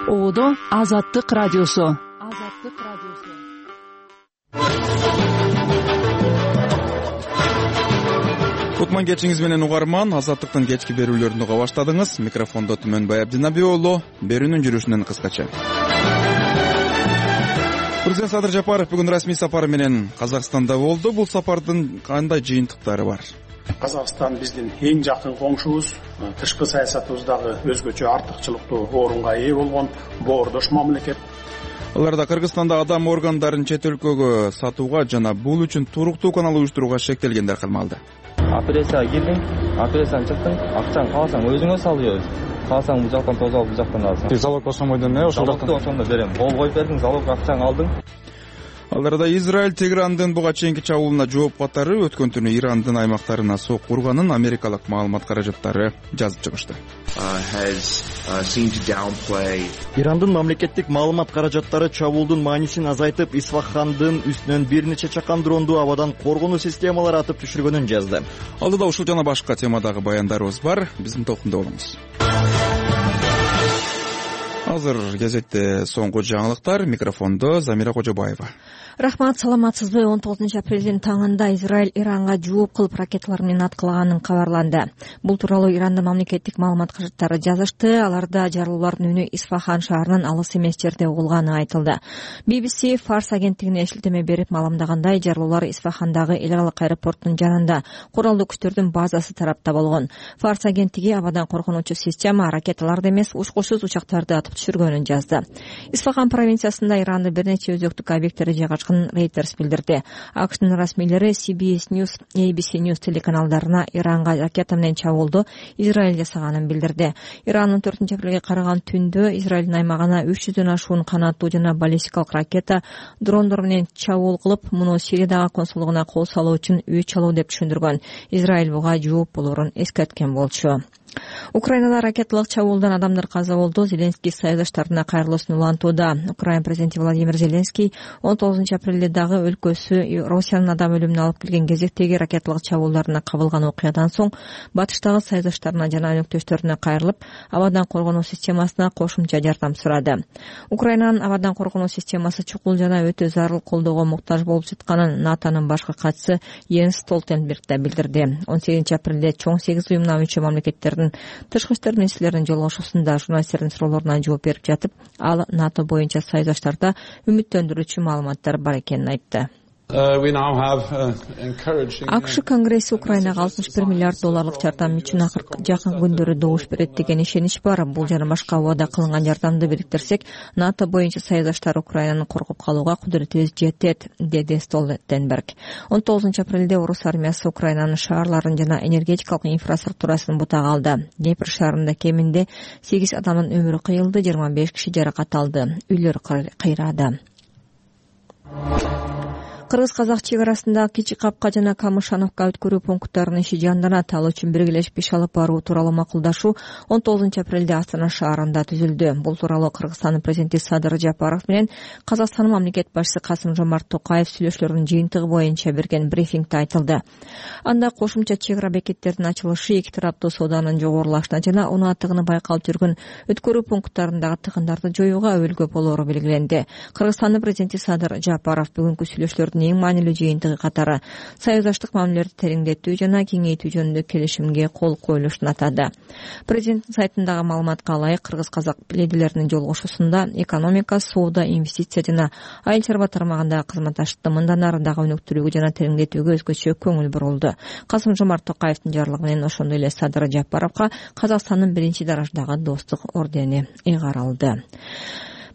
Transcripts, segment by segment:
Оодо Азаттык радиосу. Кутман кечиңиз менен угарман, Азаттыктын кечки берүүлөрүн уга баштадыңыз. Микрофондо Түмөнбай Абдинаби уулу. Берүүнүн жүрүшүнөн кыскача. Президент Садыр Жапаров бүгүн расмий сапары менен Казакстанда болду. Бул сапардын кандай жыйынтыктары бар? Казакстан биздин эң жакын коңшубуз, тышкы саясатыбыздагы өзгөчө артыкчылыктуу орунга ээ болгон боордош мамлекет. Аларда Кыргызстанда адам органдарын чет өлкөгө сатууга жана бул үчүн туруктуу канал уюштурууга шектелгендер калмалды. Операцияга кирдиң, операциядан чыктың, акчаң кааласаң өзүңө салып, кааласаң бул жактан тоз алып бул жактан аласың. Залог ошомойдон ошол жактан ошондо берем. Кол коюп бердиң, залог акчаңды алдың. Аларда Израиль Теграндын буга чейинки чабуулуна жооп катары өткөн түнү Ирандын аймактарына сокку урганын америкалык маалымат каражаттары жазып чыгышты. Ирандын мамлекеттик маалымат каражаттары чабуулдун маанисин азайтып, Исфахандын үстүнөн бир нече чакан дронду абадан коргонуу системалары атып түшүргөнүн жазды. Алдыда ушул жана башка темадагы баяндарыбыз бар. Биздин топтунда болуңуз. Азыр кезекте соңку жаңылыктар. Микрофондо Замира Кожобаева. Рахмат, саламатсызбы? 19 апрелдин таңында Израиль Иранга жооп кылып ракеталар менен аткылаганын кабарланды. Бул тууралуу Ирандын мамлекеттик маалымат каражаттары жазышты. Аларда жарылуулардын үнү Исфахан шаарынан алыс эмес жерде угулганы айтылды. BBC Фарс агенттигине шилтеме берип маалымдагандай, жарылуулар Исфахандагы эл аралык аэропорттун жанында куралдуу күчтөрдүн базасы тарапта болгон. Фарс агенттиги абадан коргонуучу система ракеталарды эмес, учкучсуз учактарды атып түшүргөнүн жазды. Исфахан провинциясында Ирандын бир нече өзөктүк объекттери жайгашкан Reuters билдирди. АКШнын расмийлери CBS News, ABC News телеканалдарына Иранга ракета менен чабуулду Израиль жасаганын билдирди. Ирандын 4 апрелге караган түндө Израилдин аймагына 300дөн ашуун канаттуу жана баллистикалык ракета дрондор менен чабуул кылып, муну Сириядагы консулдугуна кол салуу үчүн үй чалуу деп түшүндүргөн. Израиль буга жооп болорун эскерткен болчу. Украинада ракеталык чабуулдан адамдар каза болду. Зеленский союздаштарына кайрылуусун улантууда. Украина президенти Владимир Зеленский 19 апрелде дагы өлкөсү Россиянын адам өлүмүнө алып келген кезектеги ракеталык чабуулдарына кабылган окуядан соң батыштагы союздаштарына жана өнөктөштөрүнө кайрылып, абадан коргонуу системасына кошумча жардам сурады. Украинанын абадан коргонуу системасы чукул жана өтө зарыл колдоого муктаж болуп жатканын НАТОнун башкы катчысы Йенс Столтенберг да билдирди. 18 апрелде чоң 8 уюмуна мүчө мамлекеттердин тышкы иштер министрлеринин жолугушуусунда журналисттердин суроолоруна жооп берип жатып, ал НАТО боюнча союздаштарда үмүттөндүрүүчү маалыматтар бар экенин айтты. АКШ Конгресси Украинага $61 миллиард жардам үчүн жакын күндөрү добуш берет деген ишенич бар. Бул жана башка убада кылынган жардамды бириктирсек, НАТО боюнча союздаштар Украинаны коргоп калууга кудуретибиз жетет, деди Столтенберг. 19 апрелде орус армиясы Украинанын шаарларын жана энергетикалык инфраструктурасын бутага алды. Днепр шаарында кеминде 8 адамдын өмүрү кыйылды, 25 киши жаракат алды, үйлөр кыйрады. Кыргыз-казак чек арасында Кичи Капка жана Камышановка өткөрүү пункттарынын иши жанданат. Ал үчүн биргелешип иш алып баруу тууралуу макулдашуу 19 апрелде Астана шаарында түзүлдү. Бул тууралуу Кыргызстандын президенти Садыр Жапаров менен Казакстандын мамлекет башчысы Касым-Жомарт Токаев сүйлөшүүлөрүнүн жыйынтыгы боюнча берген брифингде айтылды. Анда кошумча чек ара бекеттердин ачылышы, эки тараптуу сооданын жогорулашына жана унаатыгыны байкалып жүргөн өткөрүү пункттарындагы тыгындарды жоюуга өбөлгө болоору белгиленди. Кыргызстандын президенти Садыр Жапаров бүгүнкү сүйлөшүүлөрдүн эң маанилүү жыйынтыгы катары союздаштык мамилелерди тереңдетүү жана кеңейтүү жөнүндө келишимге кол коюлушун атады. Президенттин сайтындагы маалыматка ылайык, кыргыз-казак лидерлеринин жолугушуусунда экономика, соода, инвестиция жана айыл чарба тармагындагы кызматташтыкты мындан ары дагы өнүктүрүүгө жана тереңдетүүгө өзгөчө көңүл бурулду. Касым-Жомарт Токаевдин жарлыгы менен ошондой эле Садыр Жапаровго Казакстандын 1-дараждагы достук ордени ыйгарылды.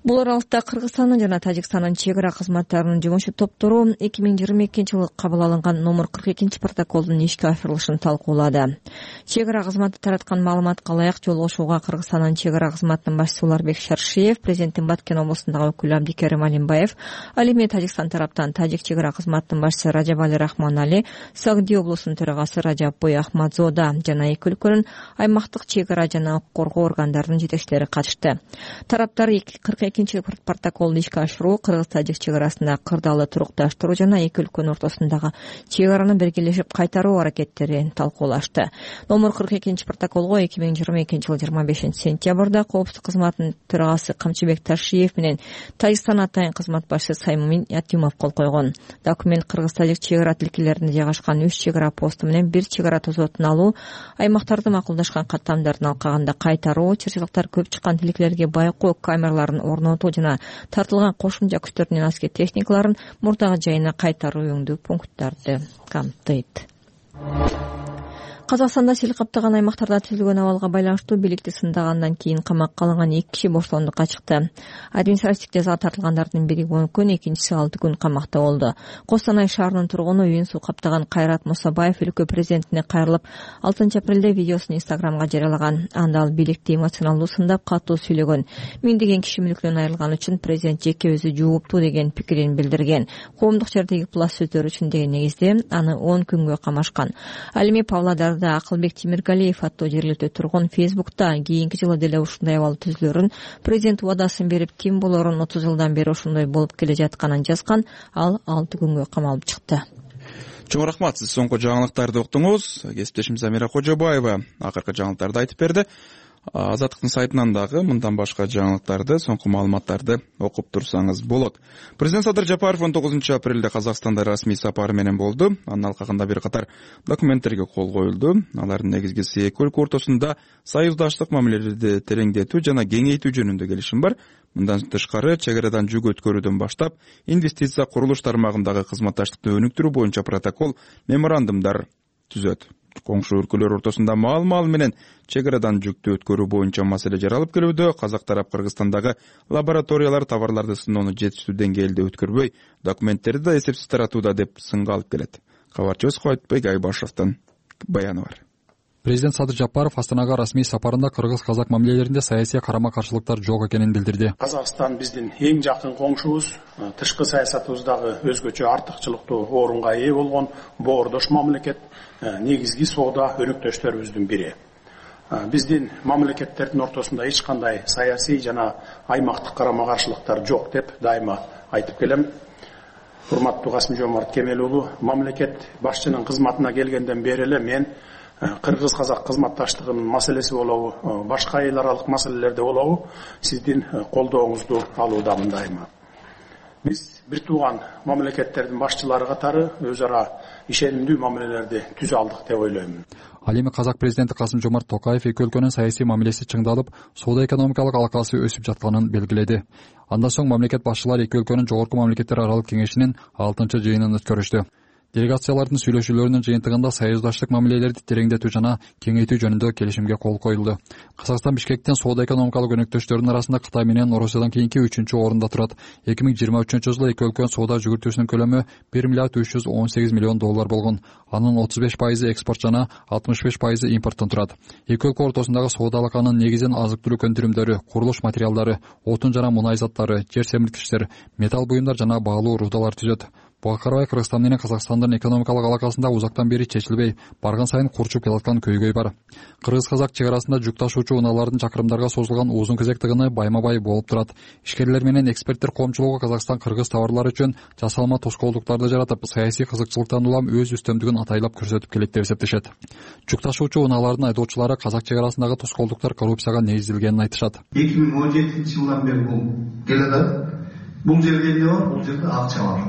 Бул аралыкта Кыргызстандын жана Тажикстандын чек ара кызматтарынын жумуш топтору 2022-жылы кабыл алынган номер 42 протоколдун ишке ашырылышын талкуулады. Чек ара кызматы тараткан маалыматка ылайык, жолугушууга Кыргызстандын чек ара кызматынын башчысы Уларбек Шаршиев, президенттин Баткен облусундагы өкүлү Абдикерим Алимбаев, ал эми Тажикстан тараптан Тажик чек ара кызматынын башчысы Раджабали Рахманали, Сагди облусунун төрагасы Раджаббой Ахмадзода жана эки өлкөнүн аймактык чек ара жана коргоо органдарынын жетекчилери катышты. Тараптар экинчи протоколду ишке ашыруу кыргыз-тажик чек арасында кырдаалы турукташтыруу жана эки өлкөнүн ортосундагы чек араны биргелешип кайтаруу аракеттерин талкуулашты. Номер 42 протоколго 2022 жыл 25 сентябрда коопсуздук кызматынын төрагасы Камчыбек Ташиев менен Тажикстан атайын кызмат башчысы Саймумин Ятимов кол койгон. Документ кыргыз-тажик чек ара тилкелеринде жайгашкан 3 чек ара посту менен 1 чек ара тозотун алуу, аймактарды макулдашкан каттамдардын алкагында кайтаруу, чырчылыктар көп чыккан тилкелерге байкоо камераларын орнотуу жана тартылган кошумча күчтөрдүн аскер техникаларын мурдагы жайына кайтаруу өңдүү пункттарды камтыйт. Казакстанда сел каптаган аймактарда түзүлгөн абалга байланыштуу бийликти сындагандан кийин камакка алынган 2 киши бошондукка чыкты. Административдик жазага тартылгандардын бири 10 күн, экинчиси 6 күн камакта болду. Костанай шаарынын тургуну үйүн суу каптаган Кайрат Мусабаев өлкө президентине кайрылып 6 апрелде видеосун Инстаграмга жарыялаган. Анда ал бийликти эмоционалдуу сындап катуу сүйлөгөн. Миңдеген киши мүлкүнөн айрылган үчүн президент жеке өзү жооптуу деген пикирин билдирген. Коомдук жердеги пласт сөздөр үчүн деген негизде аны 10 күнгө камашкан. Ал эми Павлодарда Акылбек Тимиргалиев аттуу жергиликтүү тургун Фейсбукта кийинки жылы деле ушундай абал түзүлөрүн, президент убадасын берип ким болорун 30 жылдан бери ошондой болуп келе жатканын жазган. Ал 6 күнгө камалып чыкты. Чоң рахмат, сиз соңку жаңылыктарды уктуңуз. Кесиптешим Замира Кожобаева акыркы жаңылыктарды айтып берди. Азаттыктын сайтынан дагы мындан башка жаңылыктарды, соңку маалыматтарды окуп турсаңыз болот. Президент Садыр Жапаров 19 апрелде Казакстанда расмий сапары менен болду. Анын алкагында бир катар документтерге кол коюлду. Алардын негизгиси эки өлкө ортосунда союздаштык мамилелерди тереңдетүү жана кеңейтүү жөнүндө келишим бар. Мындан тышкары чек арадан жүк өткөрүүдөн баштап инвестиция курулуш тармагындагы кызматташтыкты өнүктүрүү боюнча протокол, меморандумдар түзөт. Коңшу өлкөлөр ортосунда маал менен чек арадан жүктү өткөрүү боюнча маселе жаралып келүүдө. Казак тарап Кыргызстандагы лабораториялар товарларды сыноону жетиштүү деңгээлде өткөрбөй, документтерди да эсепсиз таратууда деп сынга алып келет. Кабарчыбыз Куатбек Айбашевдин баяны бар. Президент Садыр Жапаров Астанага расмий сапарында кыргыз-казак мамилелеринде саясий карама-каршылыктар жок экенин билдирди. Казакстан биздин эң жакын коңшубуз, тышкы саясатыбыздагы өзгөчө артыкчылыктуу орунга ээ болгон боордош мамлекет, негизги соода өнөктөштөрүбүздүн бири. Биздин мамлекеттердин ортосунда эч кандай саясий жана аймактык карама-каршылыктар жок деп дайыма айтып келем. Урматтуу Касым-Жомарт Кемел уулу, мамлекет башчынын кызматына келгенден бери эле мен кыргыз-казак кызматташтыгынын маселеси болобу, башка эл аралык маселелерде болобу, сиздин колдооңузду алуудамын дайыма. Биз бир тууган мамлекеттердин башчылары катары өз ара ишенимдүү мамилелерди түзө алдык деп ойлоймун. Ал эми казак президенти Касым-Жомарт Токаев эки өлкөнүн саясий мамилеси чыңдалып, соода-экономикалык алакасы өсүп жатканын белгиледи. Андан соң мамлекет башчылары эки өлкөнүн жогорку мамлекеттер аралык кеңешинин 6-жыйынын өткөрүштү. Делегациялардын сүйлөшүүлөрүнүн жыйынтыгында союздаштык мамилелерди тереңдетүү жана кеңейтүү жөнүндө келишимге кол коюлду. Казакстан Бишкектен соода-экономикалык өнөктөштөрдүн арасында Кытай менен Орусиядан кийинки 3-орунда турат. 2023 жылы эки өлкөнүн соода жүгүртүүсүнүн көлөмү $1 миллиард 318 миллион болгон. Анын 35% экспорт жана 65% импорттон турат. Эки өлкө ортосундагы соода алаканын негизин азык-түлүк өндүрүмдөрү, курулуш материалдары, отун жана мунай заттары, жер семирткичтер, металл буюмдар жана баалуу рудалар түзөт. Буга карабай Кыргызстан менен Казакстандын экономикалык алакасында узактан бери чечилбей, барган сайын курчуп келаткан көйгөй бар. Кыргыз-казак чек арасында жүк ташуучу унаалардын чакырымдарга созулган узун кезек тыгыны байма-бай болуп турат. Ишкерлер менен эксперттер коомчулугу Казакстан-Кыргыз товарлары үчүн жасалма тоскоолдуктарды жаратып, саясий кызыкчылыктан улам өз үстөмдүгүн атайлап көрсөтүп келет деп эсептешет. Жүк ташуучу унаалардын айдоочулары казак чек арасындагы тоскоолдуктар коррупцияга негизделгенин айтышат. 2017 жылдан бери бул келе. Бул жерде эмне бар? Бул жерде акча бар.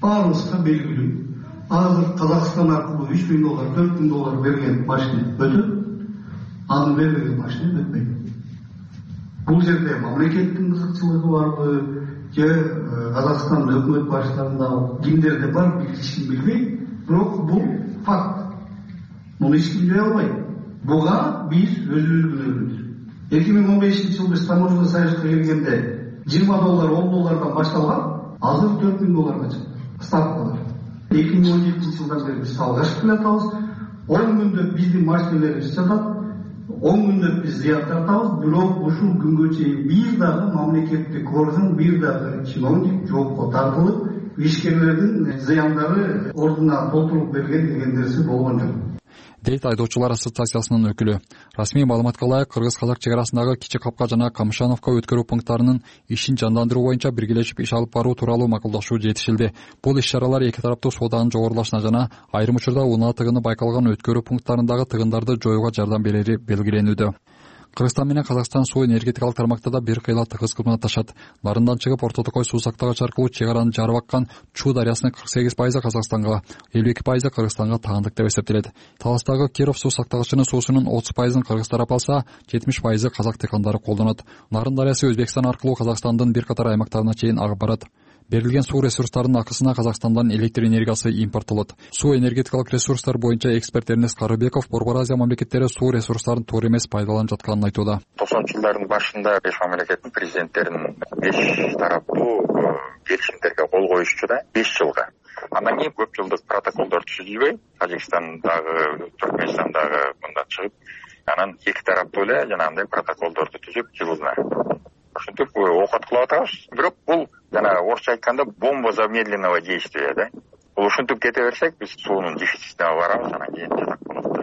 Баарыбызга белгилүү. Азыр Казакстан аркылуу $3,000, $4,000 берген машина өтөт. Аны бербеген машина өтпөйт. Бул жерде мамлекеттин кызыкчылыгы барбы, же Казакстандын өкмөт башчыларында кимдерде бар эч ким билбейт. Бирок бул факт. Муну эч ким жое албайт. Буга биз өзүбүз күнөөбүз. 2015 жылы биз таможня союзга келгенде $20, $10 башталган, азыр $4,000 чыкты. Ставкалар. 2017 жылдан бери биз алгашкы келатабыз. 10 күндө биздин машиналарыбыз жатат. 10 күндө биз зыян тартабыз. Бирок ушул күнгө чейин бир дагы мамлекеттик орган, бир дагы чиновник жоопко тартылып, ишкерлердин зыяндары ордуна толтуруп берген деген нерсе болгон жок. дейт айдоочулар ассоциациясынын өкүлү. Расмий маалыматка ылайык кыргыз-казак чек арасындагы Кичи Капка жана Камышановка өткөрүү пункттарынын ишин жандандыруу боюнча биргелешип иш алып баруу тууралуу макулдашуу жетишилди. Бул иш-чаралар эки тараптуу сооданын жогорулашына жана айрым учурда унаа тыгыны байкалган өткөрүү пункттарындагы тыгындарды жоюуга жардам берери белгиленүүдө. Кыргызстан менен Казакстан суу энергетикалык тармактарда бир кыйла тыгыз кызматташат. Нарындан чыгып Орто Токой суу сактагыч аркылуу чек араны жарып аккан Чуу дарыясынын 48% Казакстанга, 52% Кыргызстанга таандык деп эсептелет. Таластагы Киров суу сактагычынын суусунун 30%ын кыргыз тарап алса, 70% казак дыйкандары колдонот. Нарын дарыясы Өзбекстан аркылуу Казакстандын бир катар аймактарына чейин агып барат. Берилген суу ресурстарынын акысына Казакстандан электр энергиясы импорттолот. Суу энергетикалык ресурстар боюнча эксперт Эрнест Карыбеков Борбор Азия мамлекеттери суу ресурстарын туура эмес пайдаланып жатканын айтууда. 90-жылдардын башында 5 мамлекеттин президенттеринин 5 тараптуу келишимдерге кол коюшчу да 5 жылга. Андан кийин көп жылдык протоколдор түзүлбөй, Тажикстандагы, Түркмөнстандагы мындан чыгып, анан эки тараптуу эле жанагындай протоколдорду түзүп жылына ушинтип окуткулап атабыз. Бирок бул жана орусча айтканда бомба замедленного действия да. Бул ушинтип кете берсек, биз суунун дефицитине барабыз, анан кийин жатак болот да.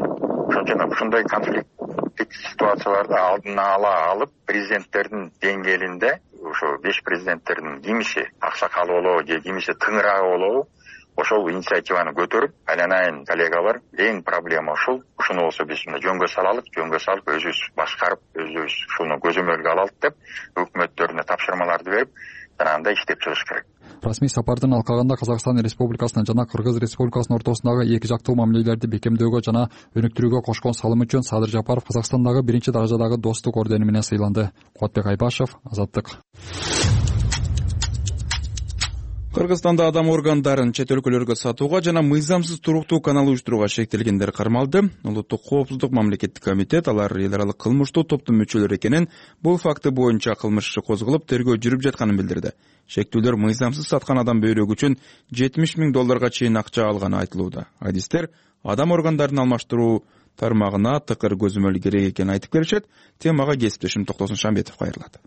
Ошон үчүн ушундай конфликттик ситуацияларды алдын ала алып, президенттердин деңгээлинде ошо 5 президенттердин кимиси аксакалы болобу же кимиси тыңыраагы болобу, ошол инициативаны көтөрүп, айланайын коллегалар, эң проблема ушул. Ушуну болсо биз жөнгө салалык, жөнгө салып өзүбүз башкарып, өзүбүз ушуну көзөмөлгө алалык деп өкмөттөрүнө тапшырмаларды берип, жанагындай иштеп чыгыш керек. Расмий сапардын алкагында Казакстан Республикасынын жана Кыргыз Республикасынын ортосундагы эки жактуу мамилелерди бекемдөөгө жана өнүктүрүүгө кошкон салымы үчүн Садыр Жапаров Казакстандагы 1-даражадагы достук ордени менен сыйланды. Кубатбек Айбашев, Азаттык. Кыргызстанда адам органдарын чет өлкөлөргө сатууга жана мыйзамсыз туруктуу канал уюштурууга шектелгендер кармалды. Улуттук коопсуздук мамлекеттик комитет алар эл аралык кылмыштуу топтун мүчөлөрү экенин, бул факты боюнча кылмыш иши козголуп, тергөө жүрүп жатканын билдирди. Шектүүлөр мыйзамсыз саткан адам бөйрөгү үчүн $70,000 чейин акча алганы айтылууда. Адистер адам органдарын алмаштыруу тармагына тыкыр көзөмөл керек экенин айтып беришет. Темага кесиптешим Токтосун Шамбетов кайрылат.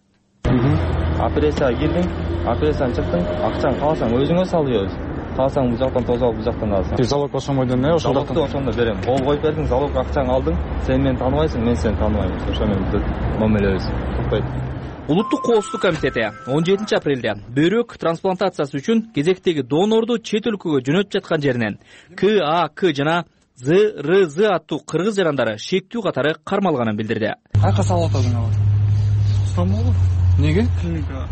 Операцияга кирдиң, операциядан чыктың, акчаны кааласаң өзүңө салып, кааласаң бул жактан тосуп алып, бул жактан аласың. Залог ошондон эмне? Залогду ошондо берем. Кол коюп бердиң, залог акчаңды алдың, сен мени тааныбайсың, мен сени тааныбайм. Ошо менен мамилебиз тукпайт. Улуттук коопсуздук комитети 17 апрелде бөйрөк трансплантациясы үчүн кезектеги донорду чет өлкөгө жөнөтүп жаткан жеринен КАК жана ЗРЗ аттуу кыргыз жарандары шектүү катары кармалганын билдирди. Кайка салып атасың алар? Стамбул? Неге? Клиника.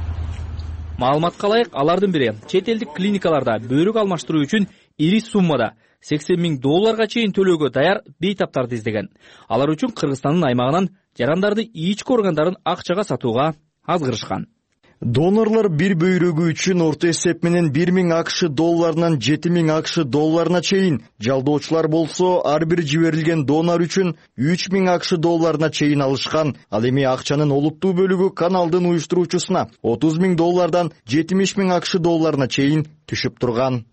Маалыматка ылайык, алардын бири чет элдик клиникаларда бөйрөк алмаштыруу үчүн ири суммада $80,000 чейин төлөөгө даяр бейтаптарды издеген. Алар үчүн Кыргызстандын аймагынан жарандарды ички органдарын акчага сатууга азгырышкан. Донорлор бир бөйрөгү үчүн орто эсеп менен $1,000 $7,000 чейин, жалдоочулар болсо ар бир жиберилген донор үчүн $3,000 чейин алышкан. Ал эми акчанын олуттуу бөлүгү каналдын уюштуруучусуна $30,000 $70,000 чейин түшүп турган.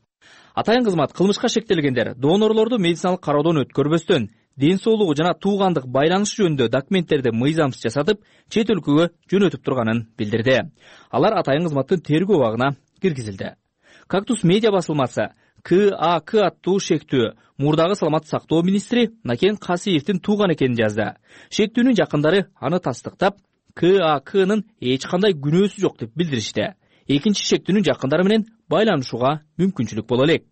Атайын кызмат кылмышка шектелгендер донорлорду медициналык кароодон өткөрбөстөн, ден соолугу жана туугандык байланышы жөнүндө документтерди мыйзамсыз жасатып, чет өлкөгө жөнөтүп турганын билдирди. Алар атайын кызматтын тергөө абагына киргизилди. Кактус медиа басылмасы КАК аттуу шектүү мурдагы саламаттык сактоо министри Накен Касиевдин тууган экенин жазды. Шектүүнүн жакындары аны тастыктап, КАКнын эч кандай күнөөсү жок деп билдиришти. Экинчи шектүүнүн жакындары менен байланышууга мүмкүнчүлүк боло элек.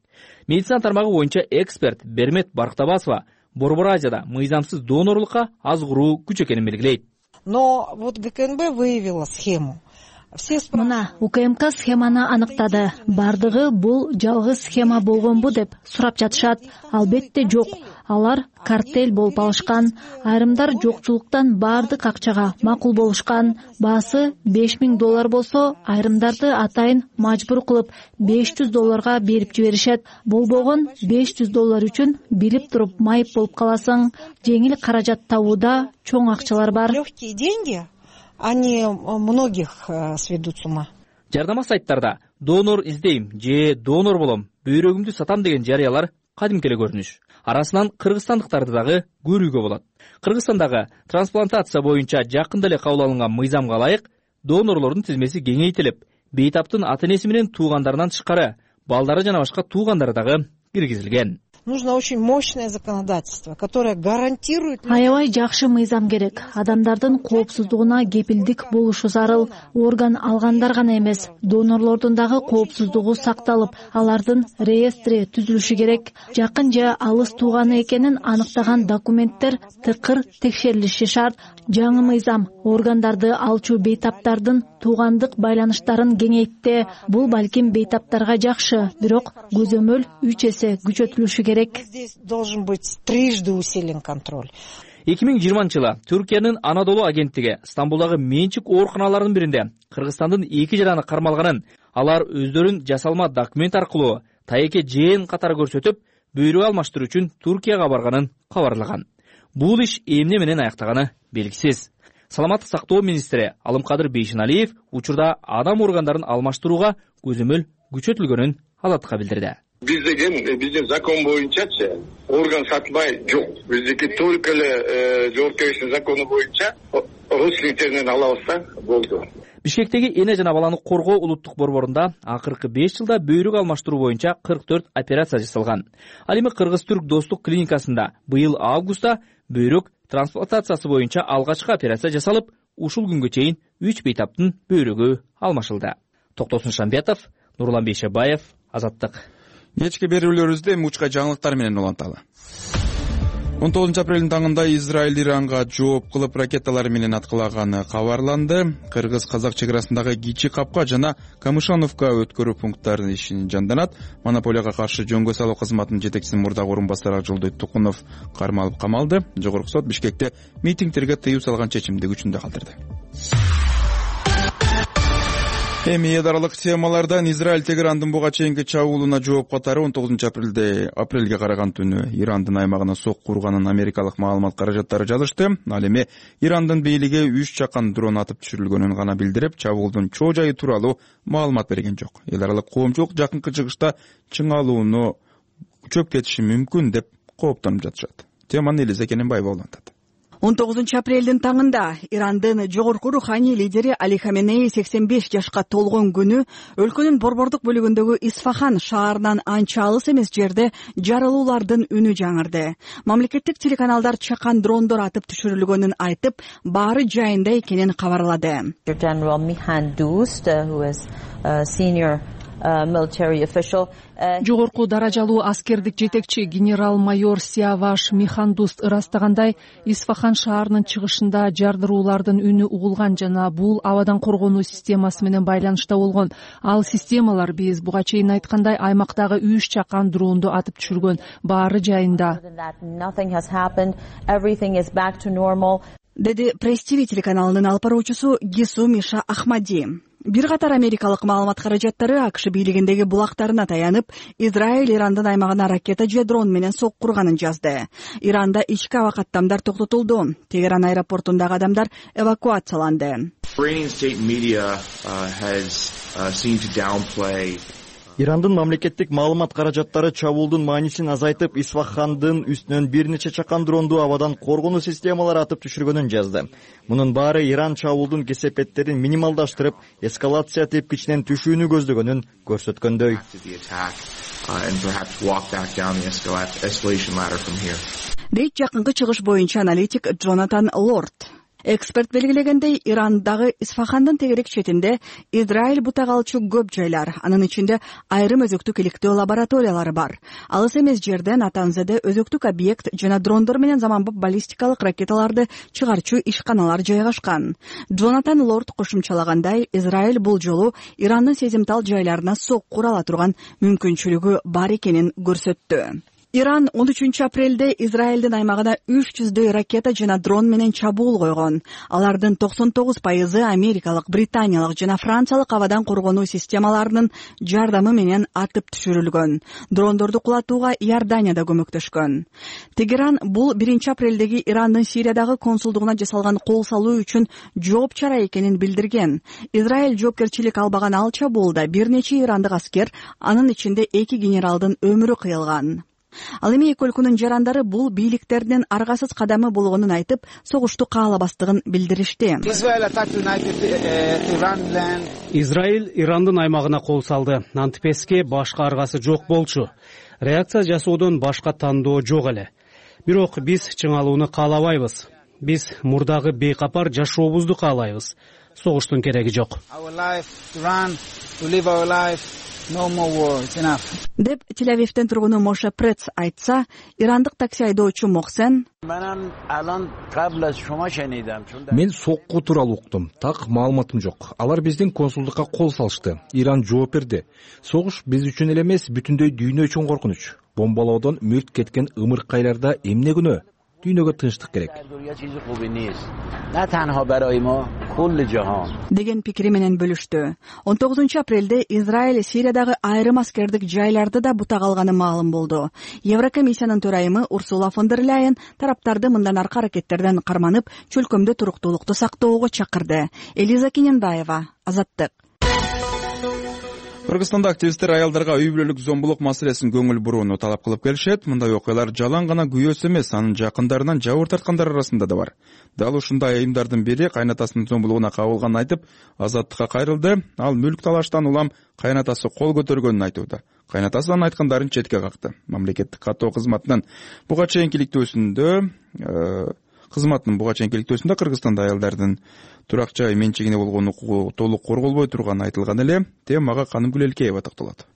Медицина тармагы боюнча эксперт Бермет Барктабасова Борбор Азияда мыйзамсыз донорлукка азгыруу күч экенин белгилейт. Но вот ГКНБ выявила схему. Мына УКМК схеманы аныктады. Бардыгы бул жалгыз схема болгонбу деп сурап жатышат. Албетте жок. Алар картель болуп алышкан. Айрымдар жокчулуктан бардык акчага макул болушкан. Баасы $5,000 болсо, айрымдарды атайын мажбур кылып $500 берип жиберишет. Болбогон $500 үчүн билип туруп майып болуп каласың. Жеңил каражат табууда чоң акчалар бар. Легкие деньги. Они многих сведут с ума. Жардама сайттарда донор издейм же донор болом, бөйрөгүмдү сатам деген жарыялар кадимки эле көрүнүш. Арасынан кыргызстандыктарды дагы көрүүгө болот. Кыргызстандагы трансплантация боюнча жакында эле кабыл алынган мыйзамга ылайык донорлордун тизмеси кеңейтилип, бейтаптын ата-энеси менен туугандарынан тышкары балдары жана башка туугандары дагы киргизилген. Нужно очень мощное законодательство, которое гарантирует... Аябай жакшы мыйзам керек. Адамдардын коопсуздугуна кепилдик болушу зарыл. Орган алгандар гана эмес, донорлордун дагы коопсуздугу сакталып, алардын реестри түзүлүшү керек. Жакын же алыс тууганы экенин аныктаган документтер тыкыр текшерилиши шарт. Жаңы мыйзам органдарды алчу бейтаптардын туугандык байланыштарын кеңейтти. Бул балким бейтаптарга жакшы, бирок көзөмөл 3 эсе күчөтүлүшү керек. Здесь должен быть трижды усилен контроль. 2020-жылы Түркиянын Анадолу агенттиги Стамбулдагы менчик ооруканаларынын биринде Кыргызстандын 2 жараны кармалганын, алар өздөрүн жасалма документ аркылуу тайеке жээн катары көрсөтүп, бөйрөк алмаштыруу үчүн Туркияга барганын кабарлаган. Бул иш эмне менен аяктаганы белгисиз. Саламаттык сактоо министри Алымкадыр Бейшеналиев учурда адам органдарын алмаштырууга көзөмөл күчөтүлгөнүн Азаттыкка билдирди. Биздин закон боюнчачы орган сатылбай жок. Биздики только эле жоопкерчиликтин закону боюнча родственниктеринен алабыз болду. Бишкектеги эне жана баланы коргоо улуттук борборунда акыркы 5 жылда бөйрөк алмаштыруу боюнча 44 операция жасалган. Ал эми Кыргыз-Түрк достук клиникасында быйыл августта бөйрөк трансплантациясы боюнча алгачкы операция жасалып, ушул күнгө чейин 3 бейтаптын бөйрөгү алмашылды. Токтосун Шамбетов, Нурлан Бейшебаев, Азаттык. Кечки берүүлөрүбүздө мучка жаңылыктар менен уланталы. 19 апрелдин таңында Израиль Иранга жооп кылып ракеталар менен аткылаганы кабарланды. Кыргыз-казак чек арасындагы Кичи Капка жана Камышановка өткөрүү пункттарынын ишин жанданат. Монополияга каршы жөнгө салуу кызматынын жетекчисинин мурдагы орун басары Акжолдой Тукунов кармалып камалды. Жогорку сот Бишкекте митингтерге тыюу салган чечимди күчүндө калтырды. Эми эдаралык темалардан Израиль Тегерандын буга чейинки чабуулуна жооп катары 19 апрелге караган түнү Ирандын аймагына сокку урганын америкалык маалымат каражаттары жазышты. Ал эми Ирандын бийлиги 3 чакан дрон атып түшүрүлгөнүн гана билдирип, чабуулдун чоо жайы тууралуу маалымат берген жок. Эдаралык коомчулук жакынкы чыгышта чыңалууну күчөп кетиши мүмкүн деп кооптонуп жатышат. Теманы Элиза Кененбаева улантат. 19 апрелдин таңында Ирандын жогорку руханий лидери Али Хаменеи 85 жашка толгон күнү өлкөнүн борбордук бөлүгүндөгү Исфахан шаарынан анча алыс эмес жерде жарылуулардын үнү жаңырды. Мамлекеттик телеканалдар чакан дрондор атып түшүрүлгөнүн айтып, баары жайында экенин кабарлады. Жогорку даражалуу аскердик жетекчи генерал-майор Сиаваш Михандуст ырастагандай, Исфахан шаарынын чыгышында жардыруулардын үнү угулган жана бул абадан коргонуу системасы менен байланышта болгон. Ал системалар биз буга чейин айткандай аймактагы 3 чакан дронду атып түшүргөн, баары жайында. Деди Пресс-ТВ телеканалынын алып баруучусу Гису Миша Ахмади. Бир катар америкалык маалымат каражаттары АКШ бийлигиндеги булактарына таянып, Израиль Ирандын аймагына ракета же дрон менен сокку урганын жазды. Иранда ички аба каттамдар токтотулду. Тегеран аэропортундагы адамдар эвакуацияланды. Ирандын мамлекеттик маалымат каражаттары чабуулдун маанисин азайтып, Исфахандын үстүнөн бир нече чакан дронду абадан коргонуу системалары атып түшүргөнүн жазды. Мунун баары Иран чабуулдун кесепеттерин минималдаштырып, эскалация тепкичинен түшүүнү көздөгөнүн көрсөткөндөй. Дейт жакынкы чыгыш боюнча аналитик Джонатан Лорд. Эксперт белгилегендей, Ирандагы Исфахандын тегерек четинде Израиль бутак алчу көп жайлар, анын ичинде айрым өзөктүк иликтөө лабораториялары бар. Алыс эмес жерден Атанзеде өзөктүк объект жана дрондор менен заманбап баллистикалык ракеталарды чыгарчу ишканалар жайгашкан. Джонатан Лорд кошумчалагандай, Израиль бул жолу Ирандын сезимтал жайларына сокку ура ала турган мүмкүнчүлүгү бар экенин көрсөттү. Иран 13 апрелде Израилдин аймагына 300дөй ракета жана дрон менен чабуул койгон. Алардын 99% америкалык, британиялык жана франциялык абадан коргонуу системаларынын жардамы менен атып түшүрүлгөн. Дрондорду кулатууга Иордания да көмөктөшкөн. Тегеран бул 1 апрелдеги Ирандын Сириядагы консулдугуна жасалган кол салуу үчүн жооп чара экенин билдирген. Израиль жоопкерчилик албаган ал чабуулда бир нече ирандык аскер, анын ичинде 2 генералдын өмүрү кыйылган. Ал эми эки өлкөнүн жарандары бул бийликтердин аргасыз кадамы болгонун айтып, согушту каалабастыгын билдиришти. Израиль Ирандын аймагына кол салды. Антипеске башка аргасы жок болчу. реакция жасоодон башка тандоо жок эле. Бирок биз чыңалууну каалабайбыз. Биз мурдагы бейкапар жашообузду каалайбыз. Согуштун кереги жок. Деп Тель-Авивден тургуну Моше Прец айтса, ирандык такси айдоочу Мохсен: мен сокку тууралуу уктум, так маалыматым жок. Алар биздин консулдукка кол салышты. Иран жооп берди. Согуш биз үчүн эле эмес, бүтүндөй дүйнө үчүн коркунуч. Бомбалоодон мүлт кеткен ымыркайларда эмне күнөө? Дүйнөгө тынчтык керек. Деген пикири менен бөлүштү. 19 апрелде Израиль Сириядагы айрым аскердик жайларды да бутак алганы маалым болду. Еврокомиссиянын төрайымы Урсула фон дер Ляйен тараптарды мындан аркы аракеттерден карманып, чөлкөмдө туруктуулукту сактоого чакырды. Элиза Кененбаева, Азаттык. Кыргызстанда активисттер аялдарга үй бүлөлүк зомбулук маселесин көңүл бурууну талап кылып келишет. Мындай окуялар жалаң гана күйөөсү эмес, анын жакындарынан жабыр тарткандар арасында да бар. Дал ушундай айымдардын бири кайнатасынын зомбулугуна кабылганын айтып, Азаттыкка кайрылды. Ал мүлк талаштан улам кайнатасы кол көтөргөнүн айтууда. Кайнатасы анын айткандарын четке какты. Мамлекеттик каттоо кызматынын буга чейинкиликтөөсүндө Кыргызстанда аялдардын турак жай менчигине болгон укугу толук корголбой турганы айтылган эле. Темага Канымгүл Элкеева токтолот.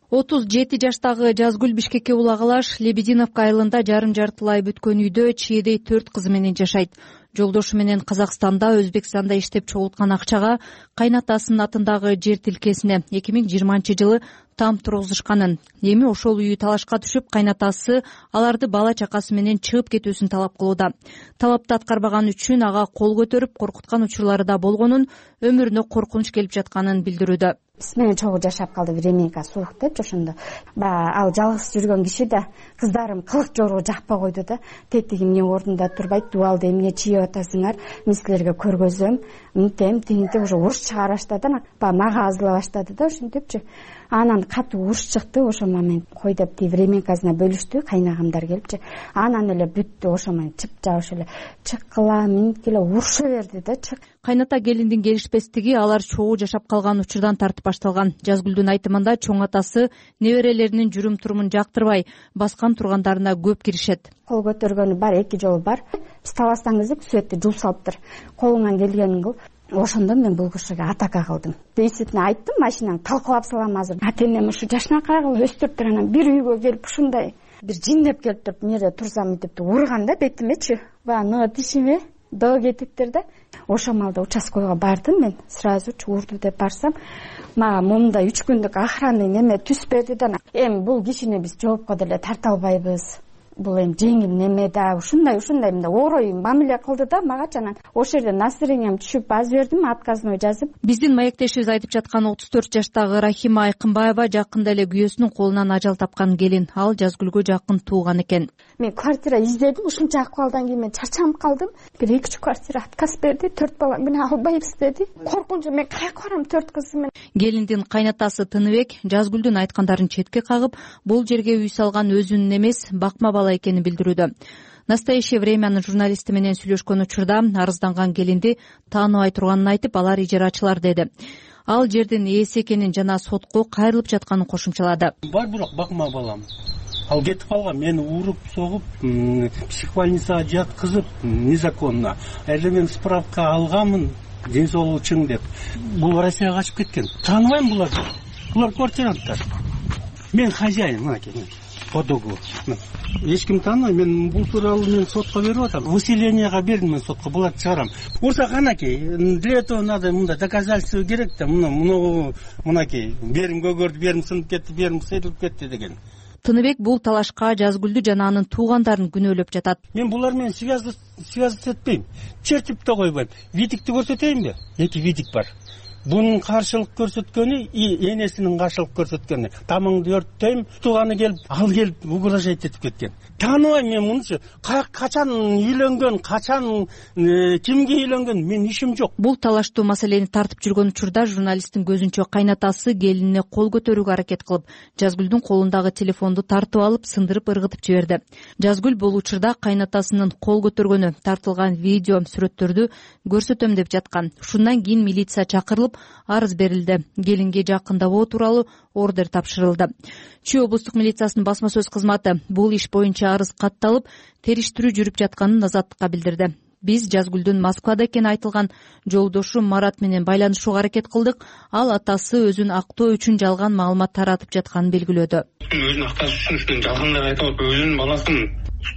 37 жаштагы Жазгүл Бишкекке улагалаш Лебединовка айылында жарым-жартылай бүткөн үйдө чиедей 4 кызы менен жашайт. Жолдошу менен Казакстанда, Өзбекстанда иштеп чогулткан акчага кайнатасынын атындагы жер тилкесине 2020-жылы там тургузушканын. Эми ошол үйү талашка түшүп, кайнатасы аларды бала чакасы менен чыгып кетүүсүн талап кылууда. Талапты аткарбаган үчүн ага кол көтөрүп, коркуткан учурлары да болгонун, өмүрүнө коркунуч келип жатканын билдирүүдө. Биз менен чогуу жашап калды, временка суук деп ошондо. Ал жалгыз жүргөн киши да кыздарым кылык жору жакпай койду да. Тетиги эмне ордунда турбайт, дубалды эмне чийип атасыңар, мен силерге көргөзөм, мынтем тигинтип уже уруш чыгара баштады. Мага азыла баштады да ошентипчи. Анан катуу уруш чыкты, ошол момент кой деп временкасына бөлүштү, кайнагамдар келипчи. Анан эле бүттү, ошол момент чыпча ошо эле чыккыла, минткиле уруша берди да. Кайната келиндин келишпестиги алар чогуу жашап калган учурдан тартып башталган. Жазгүлдүн айтымында чоң атасы неберелеринин жүрүм-турумун жактырбай, баскан тургандарына көп киришет. Кол көтөргөнү бар, 2 жолу бар. Биз талаштан кезде сүөттү жул салыптыр. Колуңан келгенин кыл. Ошондо мен бул кишиге атака кылдым. Действительно айттым, машинаны талкалап салам азыр. Ата-энем ушу жашынакай кылып өстүрүптүр, анан бир үйгө келип ушундай бир жиндеп келип туруп, эмне турсам деп урган да бетимечи. Бана тишиме до кетиптир да. Ошол малда участкага бардым мен. Сразу урду деп барсам, мага момундай 3 күндүк охрана неме түз берди да. Эми бул кишини биз жоопко деле тарта албайбыз. Бул эми жеңил неме да, ушундай мындай орой мамиле кылды да мага. Анан ошол жерде настроением түшүп аз бердим, отказной жазып. Биздин маектешибиз айтып жаткан 34 жаштагы Рахима Айкынбаева жакында эле күйөөсүнүн колунан ажал тапкан келин. Ал Жазгүлгө жакын тууган экен. Мен квартира издедим, ушунча акыбалдан кийин мен чарчанып калдым. Бир 2 квартира отказ берди, 4 бала менен албайбыз деди. Коркунчу, мен каяка барам 4 кыз менен. Келиндин кайнатасы Тыныбек Жазгүлдүн айткандарын четке кагып, бул жерге үй салган өзүнүн эмес, бакма бала экенин билдирүүдө. Настоящее времянын журналисти менен сүйлөшкөн учурда арызданган келинди тааныбай турганын айтып, алар ижарачылар деди. Ал жердин ээси экенин жана сотко кайрылып жатканын кошумчалады. Бар бирок бакма балам. Ал кетип калган, мени уруп, согуп, психбольницага жаткызып незаконно. Эле мен справка алганмын, ден соолугу чың деп. Бул Россияга качып кеткен. Тааныбайм буларды. Булар квартиранттар. Мен хозяин, мынакей. Подогу. Эч ким тааныбайм, мен бул тууралуу мен сотко берип атам. Выселенияга бердим мен сотко, буларды чыгарам. Урса канакей, для этого надо мында доказательство керек да, мынакей, берим көгөрдү, берим сынып кетти, берим сейилип кетти деген. Тыныбек бул талашка Жазгүлдү жана анын туугандарын күнөөлөп жатат. Мен булар менен связь этпейм. Чертип да койбойм. Видикти көрсөтөйүнбү? 2 видик бар. Бунун каршылык көрсөткөнү и энесинин каршылык көрсөткөнү. Тамыңды өрттөйм, тууганы келип, ал келип угрожать этип кеткен. Тааныбайм мен мунучу. Качан үйлөнгөн, качан кимге үйлөнгөн, мен ишим жок. Бул талаштуу маселени тартып жүргөн учурда журналисттин көзүнчө кайнатасы келинине кол көтөрүүгө аракет кылып, Жазгүлдүн колундагы телефонду тартып алып, сындырып ыргытып жиберди. Жазгүл бул учурда кайнатасынын кол көтөргөнү, тартылган видео сүрөттөрдү көрсөтөм деп жаткан. Ушундан кийин милиция чакырылып, катталып, арыз берилди. Келинге жакындабоо тууралуу ордер тапшырылды. Чүй облустук милициясынын басма сөз кызматы бул иш боюнча арыз катталып, териштирүү жүрүп жатканын Азаттыкка билдирди. Биз Жазгүлдүн Москвада экени айтылган жолдошу Марат менен байланышууга аракет кылдык. Ал атасы өзүн актоо үчүн жалган маалымат таратып жатканын белгилөөдү. Өзүн акташ үчүн жалгандап айтып атып, өзүнүн баласын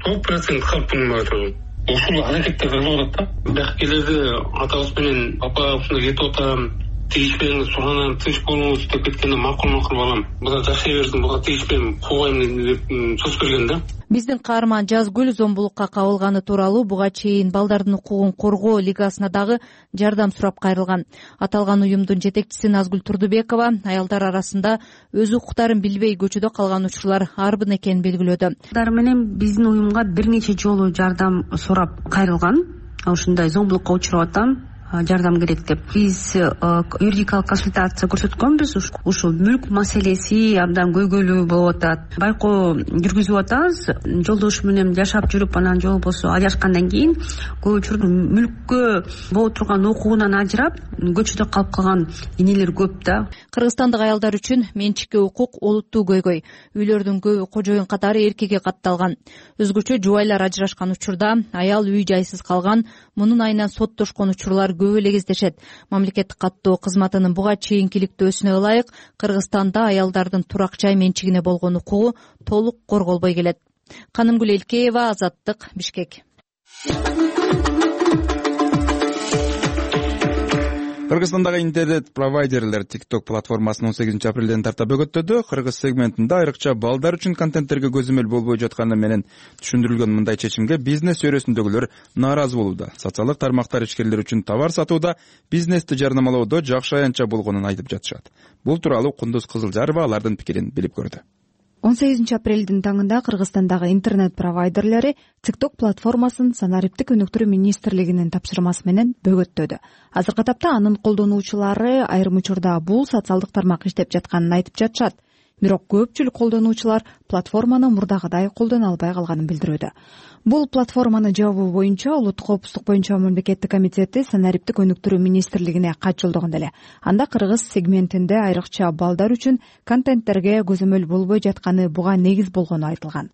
100% калпын айтып. Ушул аракеттер кылып атат да. Бияк келерде атабыз менен папа ушундай кетип атам, тийишпеңиз, суранан тыныч болуңуз деп кеткенде макул балам. Буга жашай берсин, буга тийишпейм, куугайм деп сөз берген да. Биздин каарман Жазгүл зомбулукка кабылганы тууралуу буга чейин балдардын укугун коргоо лигасына дагы жардам сурап кайрылган. Аталган уюмдун жетекчиси Назгүл Турдубекова аялдар арасында өз укуктарын билбей көчөдө калган учурлар арбын экенин белгилөөдө. Алар менен биздин уюмга бир нече жолу жардам сурап кайрылган. Ушундай зомбулукка учурап атам, жардам керек деп. Биз юридикалык консультация көрсөткөнбүз. Ушул мүлк маселеси абдан көйгөйлүү болуп атат. Байкоо жүргүзүп атабыз. Жолдошу менен жашап жүрүп, анан жол болсо ажырашкандан кийин көп учурда мүлккө боло турган укугунан ажырап, көчөдө калып калган энелер көп да. Кыргызстандык аялдар үчүн менчикке укук олуттуу көйгөй. Үйлөрдүн көбү кожоюн катары эркекке катталган. Өзгөчө жубайлар ажырашкан учурда аял үй жайсыз калган, мунун айынан соттошкон учурлар көп эле кездешет. Мамлекеттик каттоо кызматынын буга чейинки иликтөөсүнө ылайык Кыргызстанда аялдардын турак жай менчигине болгон укугу толук корголбой келет. Канымгүл Элкеева, Азаттык, Бишкек. Кыргызстандагы интернет провайдерлер TikTok платформасын 18 апрелден тарта бөгөттөдү. Кыргыз сегментинде айрыкча балдар үчүн контенттерге көзөмөл болбой жатканы менен түшүндүрүлгөн мындай чечимге бизнес чөйрөсүндөгүлөр нааразы болууда. Социалдык тармактар ишкерлери үчүн товар сатууда, бизнести жарнамалоодо жакшы аянтча болгонун айтып жатышат. Бул тууралуу Кундуз Кызылжарова алардын пикирин билип көрдү. 18 апрелдин таңында Кыргызстандагы интернет провайдерлери TikTok платформасын Санариптик өнүктүрүү министрлигинин тапшырмасы менен бөгөттөдү. Азыркы тапта анын колдонуучулары айрым учурда бул социалдык тармак иштеп жатканын айтып жатышат. Бирок көпчүлүк колдонуучулар платформаны мурдагыдай колдоно албай калганын билдирүүдө. Бул платформаны жабуу боюнча Улуттук коопсуздук боюнча мамлекеттик комитети Санариптик өнүктүрүү министрлигине кат жолдогон эле. Анда Кыргыз сегментинде айрыкча балдар үчүн контенттерге көзөмөл болбой жатканы буга негиз болгону айтылган.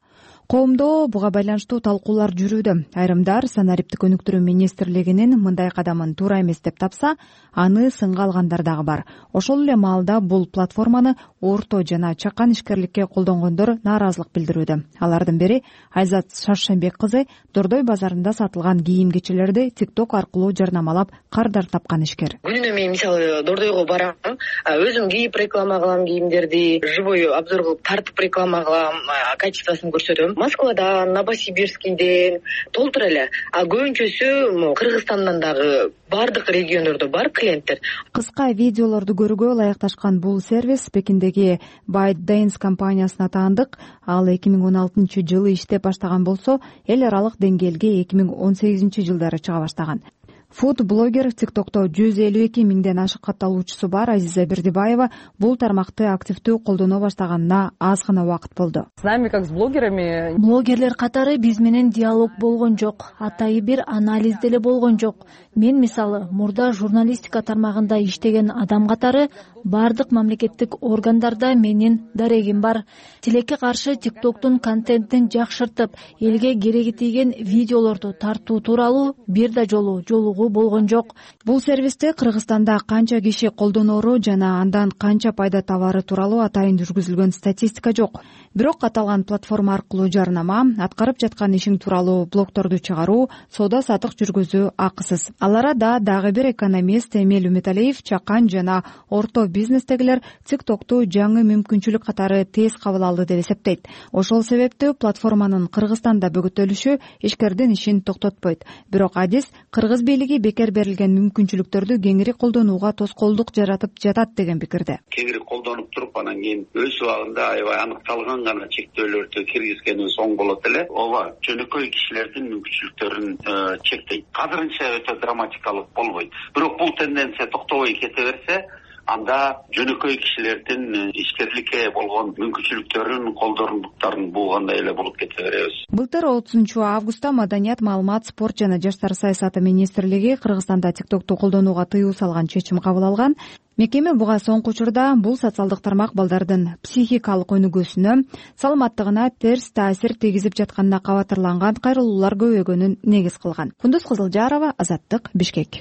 Коомдо буга байланыштуу талкуулар жүрүүдө. Айрымдар Санариптик өнүктүрүү министрлигинин мындай кадамын туура эмес деп тапса, аны сынга алгандар дагы бар. Ошол эле маалда бул платформаны орто жана чакан ишкерликке колдонгондор нааразылык билдирүүдө. Алардын бири Айзат Шаршембек кызы Дордой базарында сатылган кийим-кечелерди TikTok аркылуу жарнамалап кардар тапкан ишкер. Күнүнө мен мисалы Дордойго барам, өзүм кийип реклама кылам кийимдерди, живой обзор кылып тартып реклама кылам, качествосын көрсөтөм. Москвадан, Новосибирскийден толтур эле. Көбүнчөсү Кыргызстандан дагы бардык региондордо бар клиенттер. Кыска видеолорду көрүүгө ылайыкташкан бул сервис Пекиндеги ByteDance компаниясына таандык. Ал 2016 жылы иштеп баштаган болсо, эл аралык деңгээлге 2018 жылдары чыга баштаган. Фуд-блогер TikTok'то 152 миңден ашык катталуучусу бар Азиза Бердибаева бул тармакты активдүү колдоно баштаганына аз гана убакыт болду. С нами, как с блогерами, блогерлер катары биз менен диалог болгон жок, атайы бир анализ деле болгон жок. Мен мисалы мурда журналистика тармагында иштеген адам катары бардык мамлекеттик органдарда менин дарегим бар. Тилекке каршы TikTok'тун контентин жакшыртып, элге кереги тийген видеолорду тартуу тууралуу бир да жолугуу болгон жок. Бул сервисти Кыргызстанда канча киши колдоноору жана андан канча пайда табары тууралуу атайын жүргүзүлгөн статистика жок. Бирок аталган платформа аркылуу жарнама, аткарып жаткан ишиң тууралуу блогторду чыгаруу, соода сатык жүргүзүү акысыз. Ал арада дагы бир экономист Эмил Үмүталиев чакан жана орто бизнестегилер TikTok'ту жаңы мүмкүнчүлүк катары тез кабыл алды деп эсептейт. Ошол себептүү платформанын Кыргызстанда бөгөтөлүшү ишкердин ишин токтотпойт. Бирок адис кыргыз бийлиги бекер берилген мүмкүнчүлүктөрдү кеңири колдонууга тоскоолдук жаратып жатат деген пикирде. Кеңири колдонуп туруп, анан кийин өз убагында аябай аныкталган гана чектөөлөрдү киргизгенибиз оң болот эле. Ооба, жөнөкөй кишилердин мүмкүнчүлүктөрүн чектейт. Азырынча өтө драматикалык болбойт. Бирок бул тенденция токтобой кете берсе, анда жөнөкөй кишилердин ишкерликке болгон мүмкүнчүлүктөрүн, колдорундуктарын буугандай эле болуп кете беребиз. Былтыр 30 августта Маданият, маалымат, спорт жана жаштар саясаты министрлиги Кыргызстанда TikTok'ту колдонууга тыюу салган чечим кабыл алган. Мекеме буга соңку учурда бул социалдык тармак балдардын психикалык өнүгүүсүнө, саламаттыгына терс таасир тийгизип жатканына кабатырланган кайрылуулар көбөйгөнүн негиз кылган. Кундуз Кызылжарова, Азаттык, Бишкек.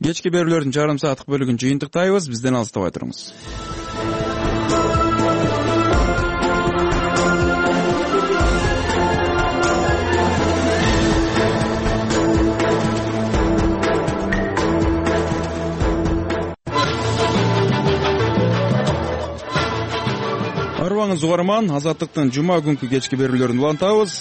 Кечки берүүлөрдүн жарым сааттык бөлүгүн жыйынтыктайбыз. Бизден алыстабай туруңуз. Арыбаңыз угарман, Азаттыктын жума күнкү кечки берүүлөрүн улантабыз.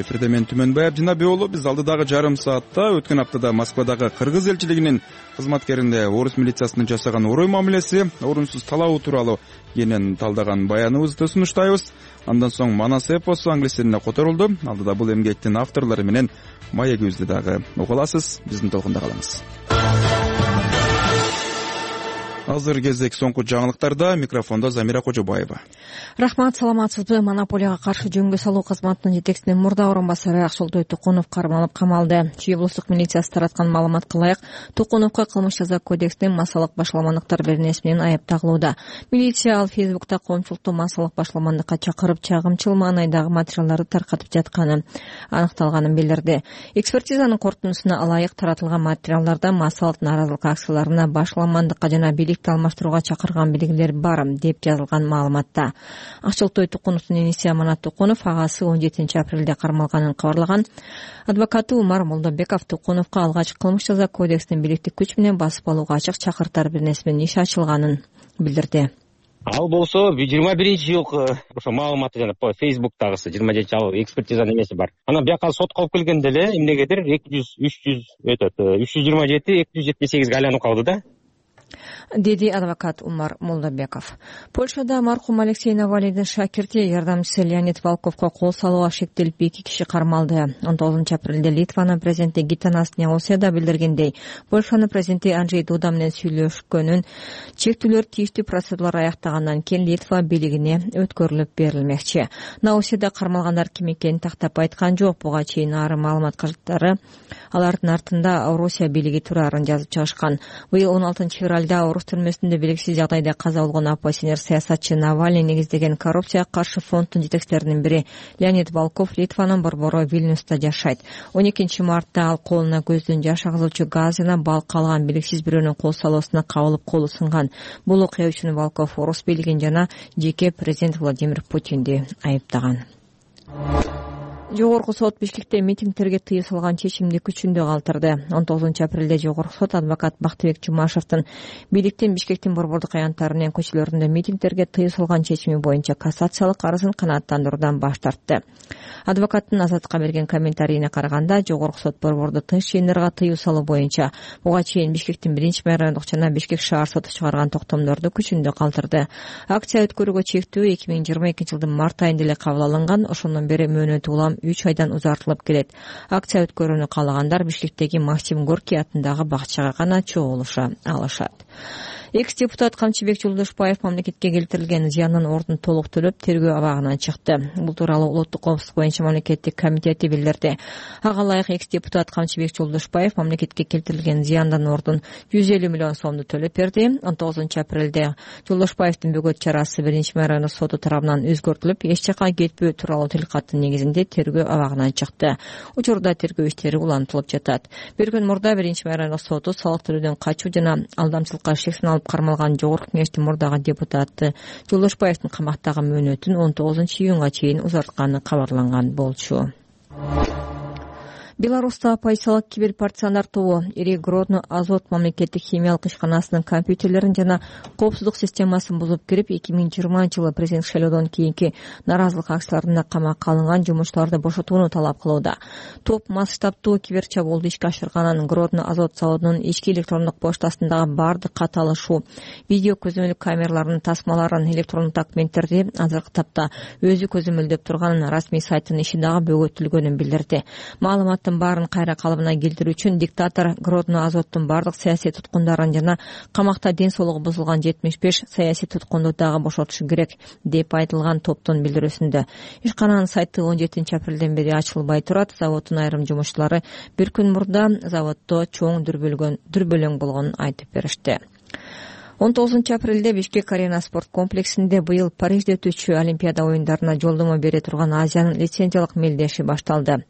Эфирде мен Түмөнбай Абдинабий уулу. Биз алдыдагы жарым саатта өткөн аптада Москвадагы Кыргыз элчилигинин кызматкерине орус милициясынын жасаган орой мамилеси, орунсуз талаабы тууралуу кенен талдаган баяныбызды сунуштайбыз. Андан соң Манас эпосу англис тилине которулду. Алдыда бул эмгектин авторлору менен маегибизди дагы уга аласыз. Биздин толкунда калыңыз. Азыр кезек соңку жаңылыктарда, микрофондо Замира Кожобаева. Рахмат, саламатсызбы? Монополияга каршы жөнгө салуу кызматынын жетекчисинин мурда орун басары Акшолтой Тукунов кармалып камалды. Чүй облустук милициясы тараткан маалыматка ылайык, Тукуновго кылмыш жаза кодексинин массалык башаламандыктар беренеси менен айып тагылууда. Милиция ал Фейсбукта коомчулукту массалык башаламандыкка чакырып, чагымчыл маанайдагы материалдарды таркатып жатканын аныкталганын билдирди. Экспертизанын корутундусуна ылайык таратылган материалдарда массалык нааразылык акцияларына башаламандыкка жана бийликти алмаштырууга чакырган белгилер бар деп жазылган маалыматта. Акшолтой Тукуновдун иниси Аманат Тукунов агасы 17 апрелде кармалганын кабарлаган. Адвокаты Умар Молдобеков Тукуновго алгач кылмыш жаза кодексинин бийликтик күч менен басып алууга ачык чакыртар беренеси менен иш ачылганын билдирди. Ал болсо 21-жылкы ошо маалыматы жана Facebook'тагысы 27 экспертизанын эмеси бар. Анан бияка сотко алып келгенде эле эмнегедир 327-278 айланып калды да. Деди адвокат Умар Молдобеков. Польшада мархум Алексей Навалийдин шакирти жардамчысы Леонид Волковго кол салууга шектелип 2 киши кармалды. 19 апрелде Литванын президенти Гитанас Науседа билдиргендей, Польшанын президенти Анджей Дуда менен сүйлөшкөнүн чектүүлөр тийиштүү процедуралар аяктагандан кийин Литва бийлигине өткөрүлүп берилмекчи. Науседа кармалгандар ким экенин тактап айткан жок. Буга чейин ары маалымат каражаттары алардын артында Орусия бийлиги турарын жазып чыгышкан. Быйыл 16 февралда орус түрмөсүндө белгисиз жагдайда каза болгон оппозиционер саясатчы Навальный негиздеген коррупцияга каршы фонддун жетекчилеринин бири Леонид Волков Литванын борбору Вильнюста жашайт. 12 мартта ал колуна көздөн жаш агызуучу газ жана балк алган белгисиз бирөөнүн кол салуусуна кабылып колу сынган. Бул окуя үчүн Волков орус бийлигин жана жеке президент Владимир Путинди айыптаган. Жогорку сот Бишкекте митингтерге тыюу салган чечимди күчүндө калтырды. 19 апрелде Жогорку сот адвокат Бактыбек Жумашевдин бийликтин Бишкектин борбордук аянттары менен көчөлөрүндө митингтерге тыюу салган чечими боюнча кассациялык арызын канааттандыруудан баш тартты. Адвокаттын Азаттыкка берген комментарийине караганда, Жогорку сот борборду тынч жыйындарга тыюу салуу боюнча буга чейин Бишкектин 1-майрандык жана Бишкек шаар соту чыгарган токтомдорду күчүндө калтырды. Акция өткөрүүгө чектөө 2022 жылдын март айында эле кабыл алынган. Ошондон бери мөөнөтү улам 3 айдан узартылып келет. Акция өткөрүүнү каалагандар Бишкектеги Максим Горький атындагы бакчага гана чогулуша алышат. Экс-депутат Камчыбек Жолдошбаев мамлекетке келтирилген зыяндын ордун толук төлөп, тергөө абагынан чыкты. Бул тууралуу Улуттук коопсуздук боюнча мамлекеттик комитети билдирди. Ага ылайык экс-депутат Камчыбек Жолдошбаев мамлекетке келтирилген зыяндын ордун 150 миллион сомду төлөп берди. 19 апрелде Жолдошбаевдин бөгөт чарасы 1-майрандык соту тарабынан өзгөртүлүп, эч жака кетпөө тууралуу тилкаттын негизинде тергөө абагынан чыкты. Учурда тергөө иштери улантылып жатат. Bir күн мурда 1-майрандык соту салык төлөөдөн качуу жана алдамчылыкка шексин алып кармалган Жогорку кеңештин мурдагы депутаты Жолдошбаевдин камактагы мөөнөтүн 19 июнга чейин узартканы кабарланган болчу. Беларуста оппозициялык киберпартизандар тобу Ири Гродно Азот мамлекеттик химиялык ишканасынын компьютерлерин жана коопсуздук системасын бузуп кирип, 2020 жылы президент шайлоодон кийинки нааразылык акцияларында камакка алынган жумушчуларды бошотууну талап кылууда. Топ масштабтуу киберчабуулду ишке ашырганын, Гродно Азот заводунун ички электрондук поштасындагы бардык катталышуу, видео көзөмөл камераларынын тасмаларын, электрондук документтерди азыркы тапта өзү көзөмөлдөп турганын, расмий сайттын иши дагы бөгөтүлгөнүн билдирди. Маалыматта алардын баарын кайра калыбына келтирүү үчүн диктатор Гродно Азоттун бардык саясий туткундарын жана камакта ден соолугу бузулган 75 саясий туткунду дагы бошотушу керек деп айтылган топтун билдирүүсүндө. Ишкананын сайты 17 апрелден бери ачылбай турат. Заводдун айрым жумушчулары бир күн мурда заводдо чоң дүрбөлөң болгонун айтып беришти. 19 апрелде Бишкек Арена спорт комплексинде быйыл Парижде өтүүчү Олимпиада оюндарына жолдомо бере турган Азиянын лицензиялык мелдеши башталды.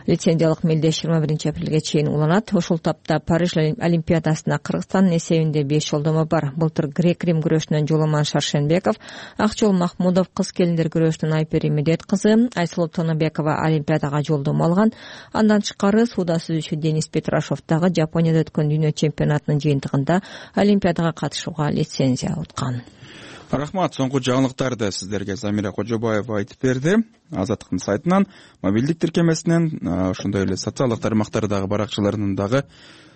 Лицензиялык мелдеш 21 апрелге чейин уланат. Ушул тапта Париж Олимпиадасына Кыргызстандын эсебинде 5 жолдомо бар. Былтыр грек-рим күрөшүнөн Жоломан Шаршенбеков, Акчол Махмудов кыз келиндер күрөшүнөн Айпери Медет кызы, Айсулуу Тонобекова Олимпиадага жолдомо алган. Андан тышкары сууда сүзүүчү Денис Петрашов дагы Жапонияда өткөн дүйнө чемпионатынын жыйынтыгында Олимпиадага катышууга лицензия алган. Рахмат. Соңку жаңылыктарды сиздерге Замира Кожобаева айтып берди. Азаттыктын сайтынан, мобилдик тиркемесинен, ошондой эле социалдык тармактардагы баракчаларынан дагы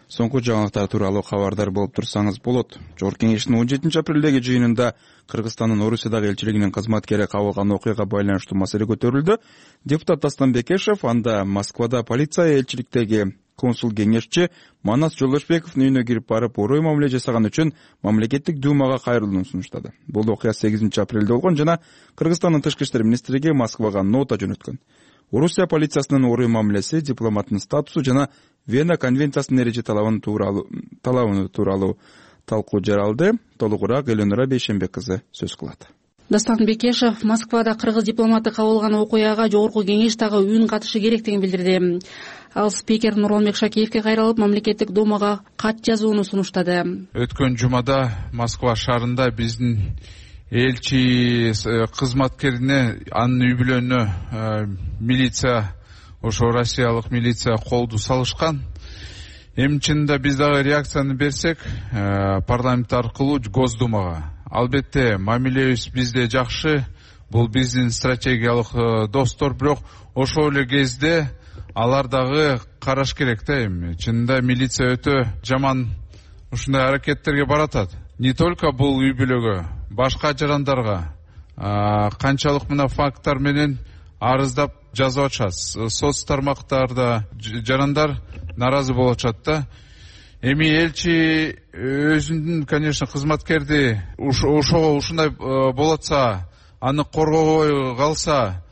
соңку жаңылыктар тууралуу кабардар болуп турсаңыз болот. Жогорку кеңештин 17 апрелдеги жыйынында Кыргызстандын Орусиядагы элчилигинин кызматкери кабылган окуяга байланыштуу маселе көтөрүлдү. Депутат Дастан Бекешев анда Москвада полиция элчиликтеги консул кеңешчи Манас Жолдошбековдун үйүнө кирип барып, орой мамиле жасаган үчүн мамлекеттик думага кайрылууну сунуштады. Бул окуя 8 апрелде болгон жана Кыргызстандын тышкы иштер министрлиги Москвага нота жөнөткөн. Орусия полициясынын орой мамилеси, дипломаттын статусу жана Вена конвенциясынын эреже талабы тууралуу талкуу жаралды. Толугураак Эленора Бейшенбек кызы сөз кылат. Дастан Бекешев Москвада кыргыз дипломаты кабылган окуяга жогорку кеңеш дагы үн катышы керектигин билдирди. Ал спикер Нурланбек Шакеевке кайрылып, мамлекеттик думага кат жазууну сунуштады. Өткөн жумада Москва шаарында биздин элчи кызматкерине, анын үй бүлөнүнө милиция, ошо россиялык милиция колду салышкан. Эми чынында биз дагы реакцияны берсек, парламент аркылуу Госдумага. Албетте, мамилебиз бизде жакшы, бул биздин стратегиялык достор, бирок ошол эле кезде алар дагы караш керек да. Эми чынында милиция өтө жаман ушундай аракеттерге баратат. Не только бул үй бүлөгө, башка жарандарга канчалык мына факттар менен арыздап жазып атышат. Соц тармактарда жарандар наразы болуп атышат да. Эми элчи өзүнүн, конечно, кызматкерди ушундай болот атса, аны коргобой калса,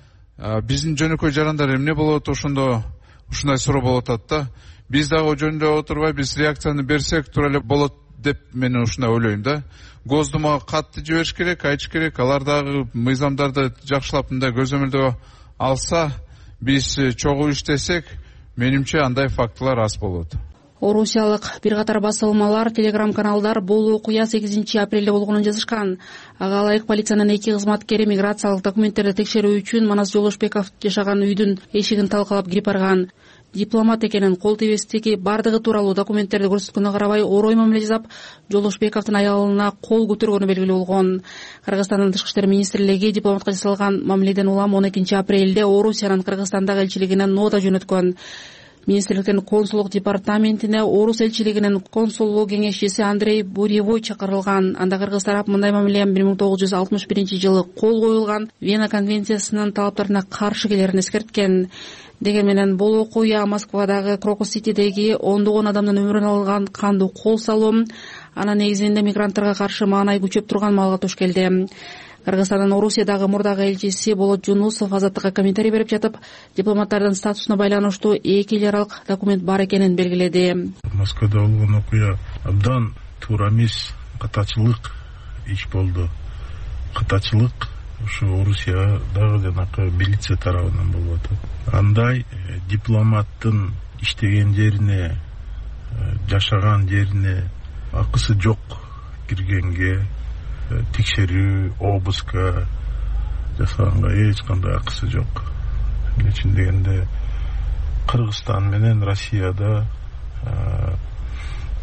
биздин жөнөкөй жарандар эмне болот, ушундай суроо болуп атат да. Биз дагы жөндөп отурбай, биз реакцияны берсек туура эле болот деп мен ушундай ойлойм да. Госдумага катты жибериш керек, айтыш керек. Алар дагы мыйзамдарды жакшылап мындай көзөмөлдөө алса, биз чогуу иштесек, менимче андай фактылар аз болот. Орусиялык бир катар басылмалар, телеграм-каналдар бул окуя 8 апрелде болгонун жазышкан. Ага ылайык полициянын 2 кызматкери миграциялык документтерди текшерүү үчүн Манас Жолдошбеков жашаган үйдүн эшигин талкалап кирип барган. Дипломат экенин, кол тебестиги бардыгы тууралуу документтерди көрсөткөнгө карабай орой мамиле жасап, Жолдошбековдун аялына кол көтөргөнү белгилүү болгон. Кыргызстандын тышкы иштер министрлиги дипломатка жасалган мамиледен улам 12 апрелде Орусиянын Кыргызстандагы элчилигине нота жөнөткөн. Министрликтин консулдук департаментине Орус элчилигинин консулдук кеңешчиси Андрей Буревой чакырылган. Анда кыргыз тарап мындай мамиле 1961-жылы кол коюлган Вена конвенциясынын талаптарына каршы келерин эскерткен. Деген менен бул окуя Москвадагы Крокус-Ситидеги ондогон адамдын өмүрүн алган кандуу кол салуу, анын негизинде мигранттарга каршы маанай күчөп турган маалга туш келди. Кыргызстандын Орусиядагы мурдагы элчиси Болот Жунусов Азаттыкка комментарий берип жатып, дипломаттардын статусуна байланыштуу 2 эл аралык документ бар экенин белгиледи. Москвада болгон окуя абдан туура эмес, катачылык иш болду. Катачылык ушу Орусиядагы жанакы милиция тарабынан болуп атат. Андай дипломаттын иштеген жерине, жашаган жерине акысы жок киргенге, текшерүү, обыска жасаганга эч кандай акысы жок. Чын дегенде Кыргызстан менен Россияда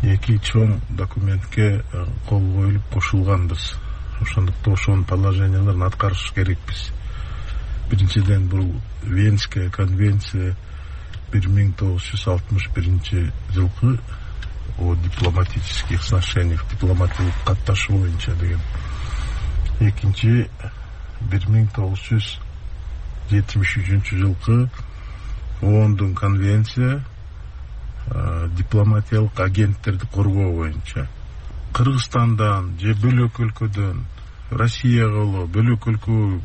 2 чоң документке кол коюлуп кошулганбыз. Ошондуктан ошонун положенияларын аткарыш керекпиз. Биринчиден бул Венская конвенция 1961-жылкы о дипломатических сношениях, дипломатиялык катташуу боюнча деген. Экинчи 1973-жылкы оондун конвенция дипломатиялык агенттерди коргоо боюнча Кыргызстандан же бөлөк өлкөдөн Россияга болобу, бөлөк өлкө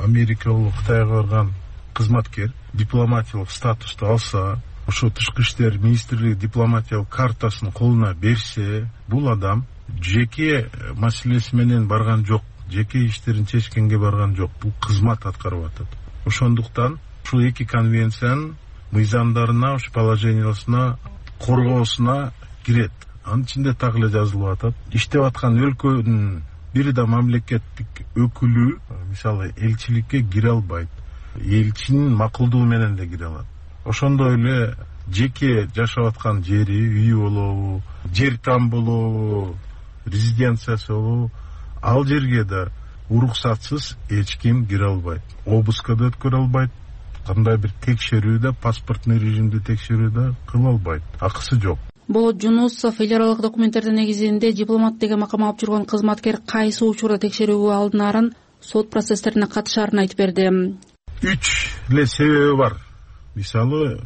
Америка болобу, Кытайга барган кызматкер дипломатиялык статусту алса, ошо тышкы иштер министрлиги дипломатиялык картасын колуна берсе, бул адам жеке маселеси менен барган жок, жеке иштерин чечкенге барган жок, бул кызмат аткарып атат. Ошондуктан ушул эки конвенциянын мыйзамдарына, ушу положениесине, коргоосуна кирет. Анын ичинде так эле жазылып атат. Иштеп аткан өлкөнүн бир да мамлекеттик өкүлү, мисалы, элчиликке кире албайт. Элчинин макулдугу менен да кире алат. Ошондой эле жеке жашап аткан жери, үйү болобу, жер там болобу, резиденциясы болобу, ал жерге да уруксатсыз эч ким кире албайт. Обыска да өткөрө албайт. Кандай бир текшерүү да, паспортный режимди текшерүү да кыла албайт. Акысы жок. Болот Жунусов эл аралык документтердин негизинде дипломат деген макам алып жүргөн кызматкер кайсы учурда текшерүүгө алынарын, сот процесстерине катышаарын айтып берди. 3 эле себеби бар. Мисалы,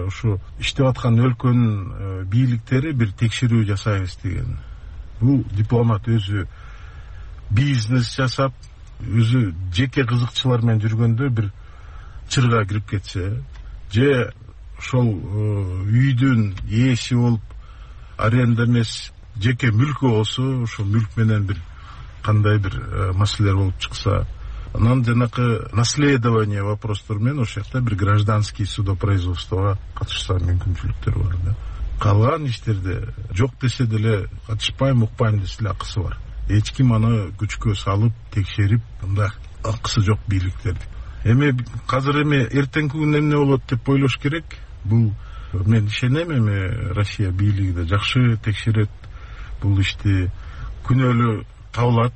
ушу иштеп аткан өлкөнүн бийликтери бир текшерүү жасайбыз деген. Бул дипломат өзү бизнес жасап, өзү жеке кызыкчылар менен жүргөндө бир чырга кирип кетсе, же ошол үйдүн ээси болуп, аренда эмес жеке мүлкү болсо, ошол мүлк менен бир кандай бир маселелер болуп чыкса, анан жанакы наследование вопростор менен ошол жакта бир гражданский судопроизводствого катышса мүмкүнчүлүктөр бар да. Калган иштерде жок десе деле катышпайм, укпайм десе деле акысы бар. Эч ким аны күчкө салып, текшерип, мындай акысы жок бийликтерди. Эми азыр эртеңки күнү эмне болот деп ойлош керек. Бул мен ишенем, Россия бийлиги да жакшы текшерет. Бул ишти күнөөлүү табылат.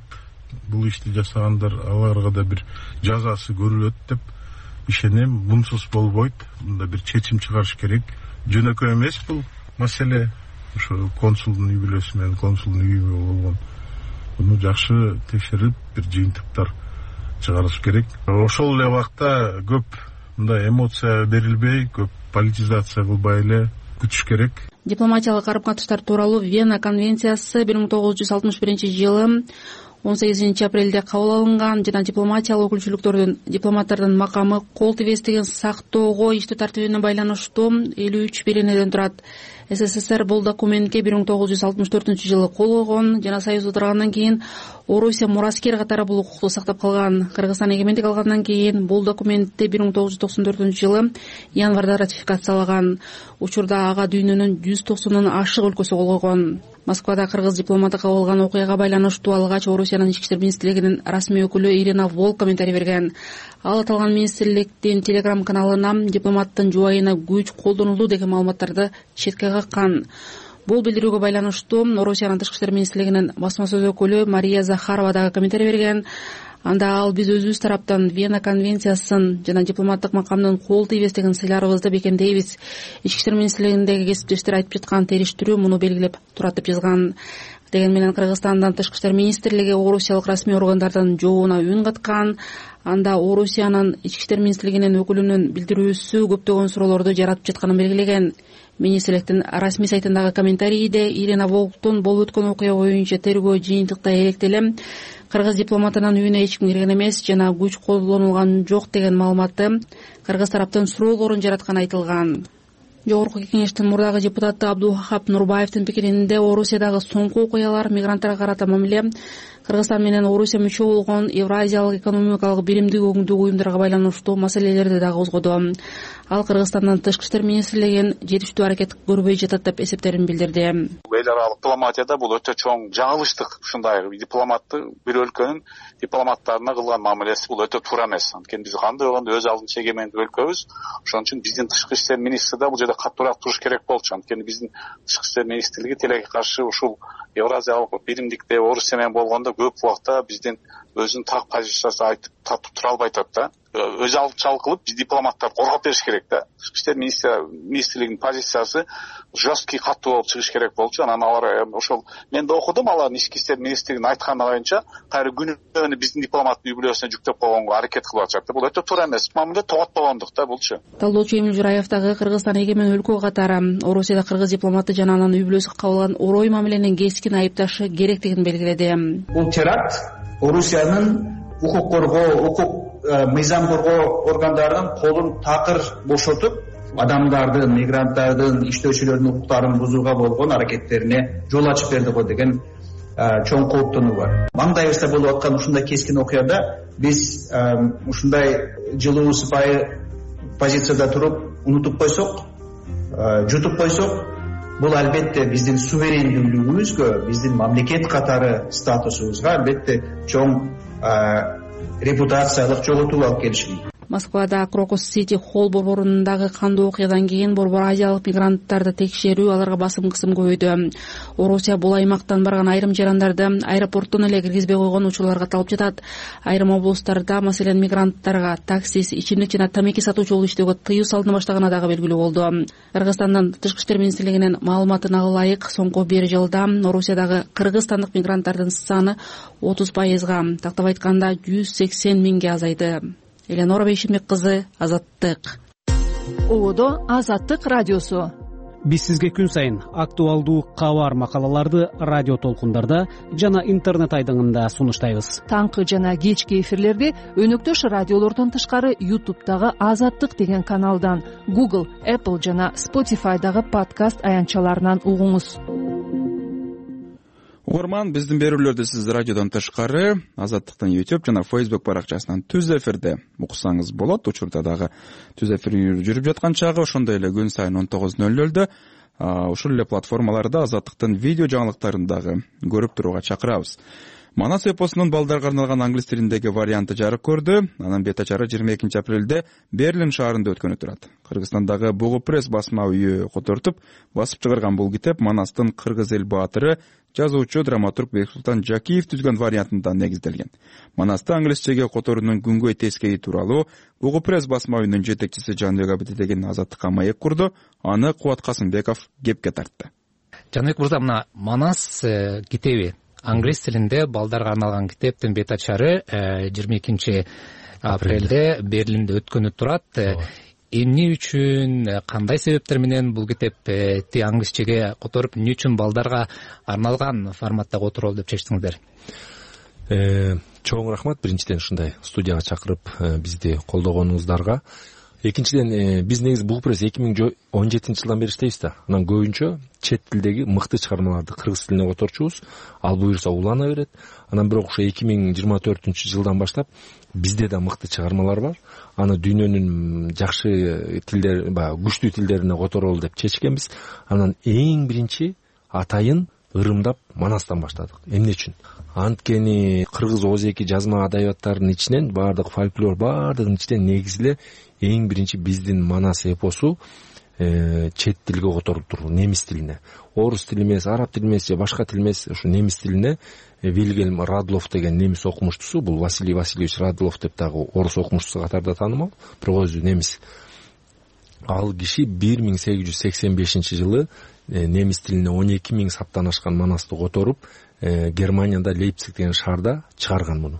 Бул ишти жасагандар, аларга да бир жазасы көрүлөт деп ишенем. Мунсуз болбойт. Мында бир чечим чыгарыш керек. Жөнөкөй эмес бул маселе. Ошо консулдун үй бүлөсү менен консулдун үйү болгон. Буну жакшы текшерип, бир жыйынтыктар чыгарыш керек. Ошол эле убакта көп мындай эмоция берилбей, көп политизация кылбай эле күтүш керек. Дипломатиялык карым-катыштар тууралуу Вена конвенциясы 1961-жылы 18-апрелде кабыл алынган жана дипломатиялык өкүлчүлүктөрдүн дипломаттардын макамы кол тибестигин сактоого иштөө тартибине байланыштуу 53 беренеден турат. СССР бул документке 1964-жылы кол койгон жана Союзда тургандан кийин Орусия мураскер катары бул укукту сактап калган. Кыргызстан эгемендик алгандан кийин бул документти 1994-жылы январда ратификациялаган. Учурда ага дүйнөнүн 190 ашык өлкөсү кол койгон. Москвада кыргыз дипломаты кабыл алган окуяга байланыштуу алгач Орусиянын ички иштер министрлигинин расмий өкүлү Ирина Волк комментарий берген. Ал аталган министрликтин телеграм каналына дипломаттын жубайына күч колдонулду деген маалыматтарды четке каккан. Бул билдирүүгө байланыштуу Орусиянын тышкы иштер министрлигинин басма сөз өкүлү Мария Захарова дагы комментарий берген. Анда ал биз өзүбүз тараптан Вена конвенциясын жана дипломаттык макамдын кол тийбестигин сыйларыбызды бекемдейбиз. Ички иштер министрлигиндеги кесиптештер айтып жаткан териштирүү муну белгилеп турат деп жазган. Деген менен Кыргызстандын тышкы иштер министрлиги орусиялык расмий органдардын жообуна үн каткан. Анда Орусиянын ички иштер министрлигинин өкүлүнүн билдирүүсү көптөгөн суроолорду жаратып жатканын белгилеген. Министрликтин расмий сайтындагы комментарийде Ирина Волктун болуп өткөн окуя боюнча тергөө жыйынтыкта эректелем кыргыз дипломатынын үйүнө эч ким кирген эмес жана күч колдонулган жок деген маалыматты кыргыз тараптын суроолорун жаратканы айтылган. Жогорку кеңештин мурдагы депутаты Абдулвахап Нурбаевдин пикиринде Орусиядагы соңку окуялар мигранттарга карата мамиле Кыргызстан менен Орусия мүчө болгон Евразиялык экономикалык биримдик өкүмдүк уюмдарга байланыштуу маселелерди дагы козгоду. Ал Кыргызстандын тышкы иштер министрлигин жетиштүү аракет көрбөй жатат деп эсептерин билдирди. Эл аралык дипломатияда бул өтө чоң жаңылыштык. Ушундай дипломатты бир өлкөнүн дипломаттарына кылган мамилеси бул өтө туура эмес. Анткени биз кандай болгондо өз алдынча эгемендик өлкөбүз. Ошон үчүн биздин тышкы иштер министри да бул жерде катуураак туруш керек болчу. Анткени биздин тышкы иштер министрлиги тилекке каршы ушул Евразиялык биримдикте Орусия менен болгондо көп убакта биздин өзүнүн так позициясын айтып татып тура албай атат да. өзалчылык кылып биз дипломаттарды коргоп бериш керек да. Иштер министрлигинин позициясы жесткий, катуу болуп чыгыш керек болчу. Анан алар ошол мен да окудум, алардын ички иштер министрлигинин айтканы боюнча кайра күнөөнү биздин дипломаттын үй бүлөсүнө жүктөп койгонго аракет кылып атышат да. Бул өтө туура эмес. Мамиле тоготпогондук да булчу. Талдоочу Эмил Жураев дагы Кыргызстан эгемен өлкө катары Орусияда кыргыз дипломаты жана анын үй бүлөсү кабыл алган орой мамиленин кескин айыпташы керектигин белгиледи. Бул теракт Орусиянын укук коргоо, мыйзам коргоо органдарынын колун такыр бошотуп, адамдардын, мигранттардын, иштөөчүлөрдүн укуктарын бузууга болгон аракеттерине жол ачып берди го деген чоң кооптонуу бар. Маңдайыбызда болуп аткан ушундай кескин окуяда биз ушундай жылуу сыпайы позицияда туруп унутуп койсок, жутуп койсок, бул албетте биздин суверендүүлүгүбүзгө, биздин мамлекет катары статусубузга албетте чоң репутациялык жоготуу алып келиши мүмкүн. Москвада Крокус Сити Холл борборундагы кандуу окуядан кийин борбор азиялык мигранттарды текшерүү, аларга басым кысым көбөйдү. Орусия бул аймактан барган айрым жарандарды аэропорттон эле киргизбей койгон учурларга талып жатат. Айрым облустарда, маселен, мигранттарга таксист, ичимдик жана тамеки сатуучу болуп иштөөгө тыюу салына баштаганы дагы белгилүү болду. Кыргызстандын Тышкы иштер министрлигинин маалыматына ылайык, соңку 1 жылда Орусиядагы кыргызстандык мигранттардын саны 30%, тактап айтканда 180 миңге азайды. Эленора Бейшимбек кызы, Азаттык. Ободо Азаттык радиосу. Биз сизге күн сайын актуалдуу кабар макалаларды радио толкундарда жана интернет айдыңында сунуштайбыз. Таңкы жана кечки эфирлерди өнөктөш радиолордон тышкары YouTube'дагы Азаттык деген каналдан, Google, Apple жана Spotify'дагы подкаст аянтчаларынан угуңуз. Угарман, биздин берүүлөрдү сиз радиодон тышкары Азаттыктын YouTube жана Facebook баракчасынан түз эфирде уксаңыз болот. Учурда дагы түз эфир жүрүп жаткан чагы, ошондой эле күн сайын 19:00 ушул эле платформаларда Азаттыктын видео жаңылыктарын дагы көрүп турууга чакырабыз. Манас эпосунун балдарга арналган англис тилиндеги варианты жарык көрдү. Анын бет ачары 22 апрелде Берлин шаарында өткөнү турат. Кыргызстандагы Бугу пресс басма үйү котортуп басып чыгарган бул китеп Манастын кыргыз эл баатыры, жазуучу, драматург Бексултан Жакиев түзгөн вариантында негизделген. Манасты англисчеге которуунун күнгөй тескейи тууралуу Бугу пресс басма үйүнүн жетекчиси Жанбек Абидидеген Азаттыкка маек курду. Аны Кубат Касымбеков кепке тартты. Жанбек мырза, мына Манас китеби англис тилинде балдарга арналган китептин бет ачары 22 апрелде Берлинде өткөнү турат. Эмне үчүн, кандай себептер менен бул китепти англисчеге которуп, эмне үчүн балдарга арналган форматта которолу деп чечтиңиздер? Чоң рахмат биринчиден ушундай студияга чакырып бизди колдогонуңуздарга. Экинчиден, биз негизи Бугу пресс 2017 жылдан бери иштейбиз да. Анан көбүнчө чет тилдеги мыкты чыгармаларды кыргыз тилине которчубуз. Ал буюрса улана берет. Анан бирок ошо 2024 жылдан баштап бизде да мыкты чыгармалар бар. Аны дүйнөнүн жакшы тилдер, күчтүү тилдерине которолу деп чечкенбиз. Анан эң биринчи атайын ырымдап Манастан баштадык. Эмне үчүн? Анткени кыргыз озеки жазма адабияттарынын ичинен, баардык фольклор баардыгынын ичинен негизиле эң биринчи биздин Манас эпосу чет тилге которулуптур, немис тилине. Орус тили эмес, араб тили эмес же башка тил эмес, ушу немис тилине Вильгельм Радлов деген немис окумуштусу, бул Василий Васильевич Радлов деп дагы орус окумуштусу катарда таанымал, бирок өзү немис. Ал киши 1885 жылы немис тилине 12 000 саптан ашкан Манасты которуп, Германияда Лейпциг деген шаарда чыгарган муну.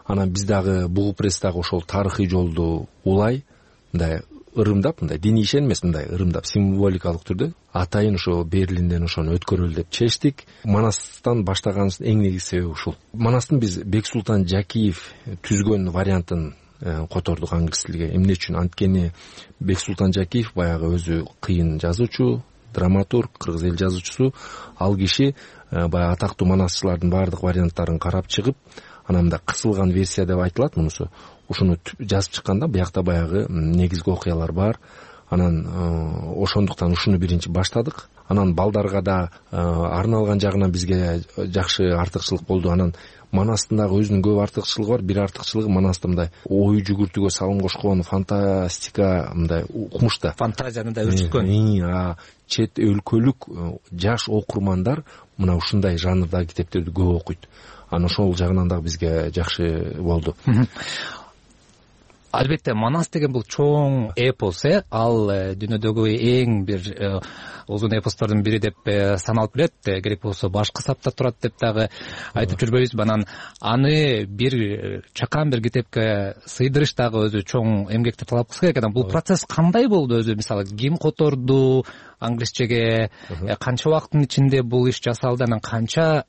Анан биз дагы Бугу пресс дагы ошол тарыхый жолду улай, мындай ырымдап, мындай диний ишен эмес, мындай ырымдап символикалык түрдө атайын ошо Берлинден ошону өткөрөлү деп чечтик. Манастан баштаганыбыздын эң негизги себеби ушул. Манастын биз Бексултан Жакиев түзгөн вариантын котордук англис тилге. Эмне үчүн? Анткени Бексултан Жакиев баягы өзү кыйын жазуучу, драматург, кыргыз эл жазуучусу. Ал киши баягы атактуу манасчылардын баардык варианттарын карап чыгып, анан мындай кысылган версия деп айтылат мунусу. Ушуну жазып чыкканда биякта баягы негизги окуялар бар. Анан ошондуктан ушуну биринчи баштадык. Анан балдарга да арналган жагынан бизге жакшы артыкчылык болду. Анан Манастын дагы өзүнүн көп артыкчылыгы бар. Бир артыкчылыгы Манаста мындай ой жүгүртүүгө салым кошкон, фантастика мындай укмуш да. Фантазияны да өрчүткөн. Чет өлкөлүк жаш окурмандар мына ушундай жанрдагы китептерди көп окуйт. Анан ошол жагынан дагы бизге жакшы болду. Албетте Манас деген бул чоң эпос, ал дүйнөдөгү эң бир узун эпостордун бири деп саналып келет. Керек болсо башкы сапта турат деп дагы айтып жүрбөйбүзбү. Анан аны бир чакан бир китепке сыйдырыш дагы өзү чоң эмгекти талап кылса керек. Анан бул процесс кандай болду өзү? Мисалы ким которду англисчеге, канча убакыттын ичинде бул иш жасалды, анан канча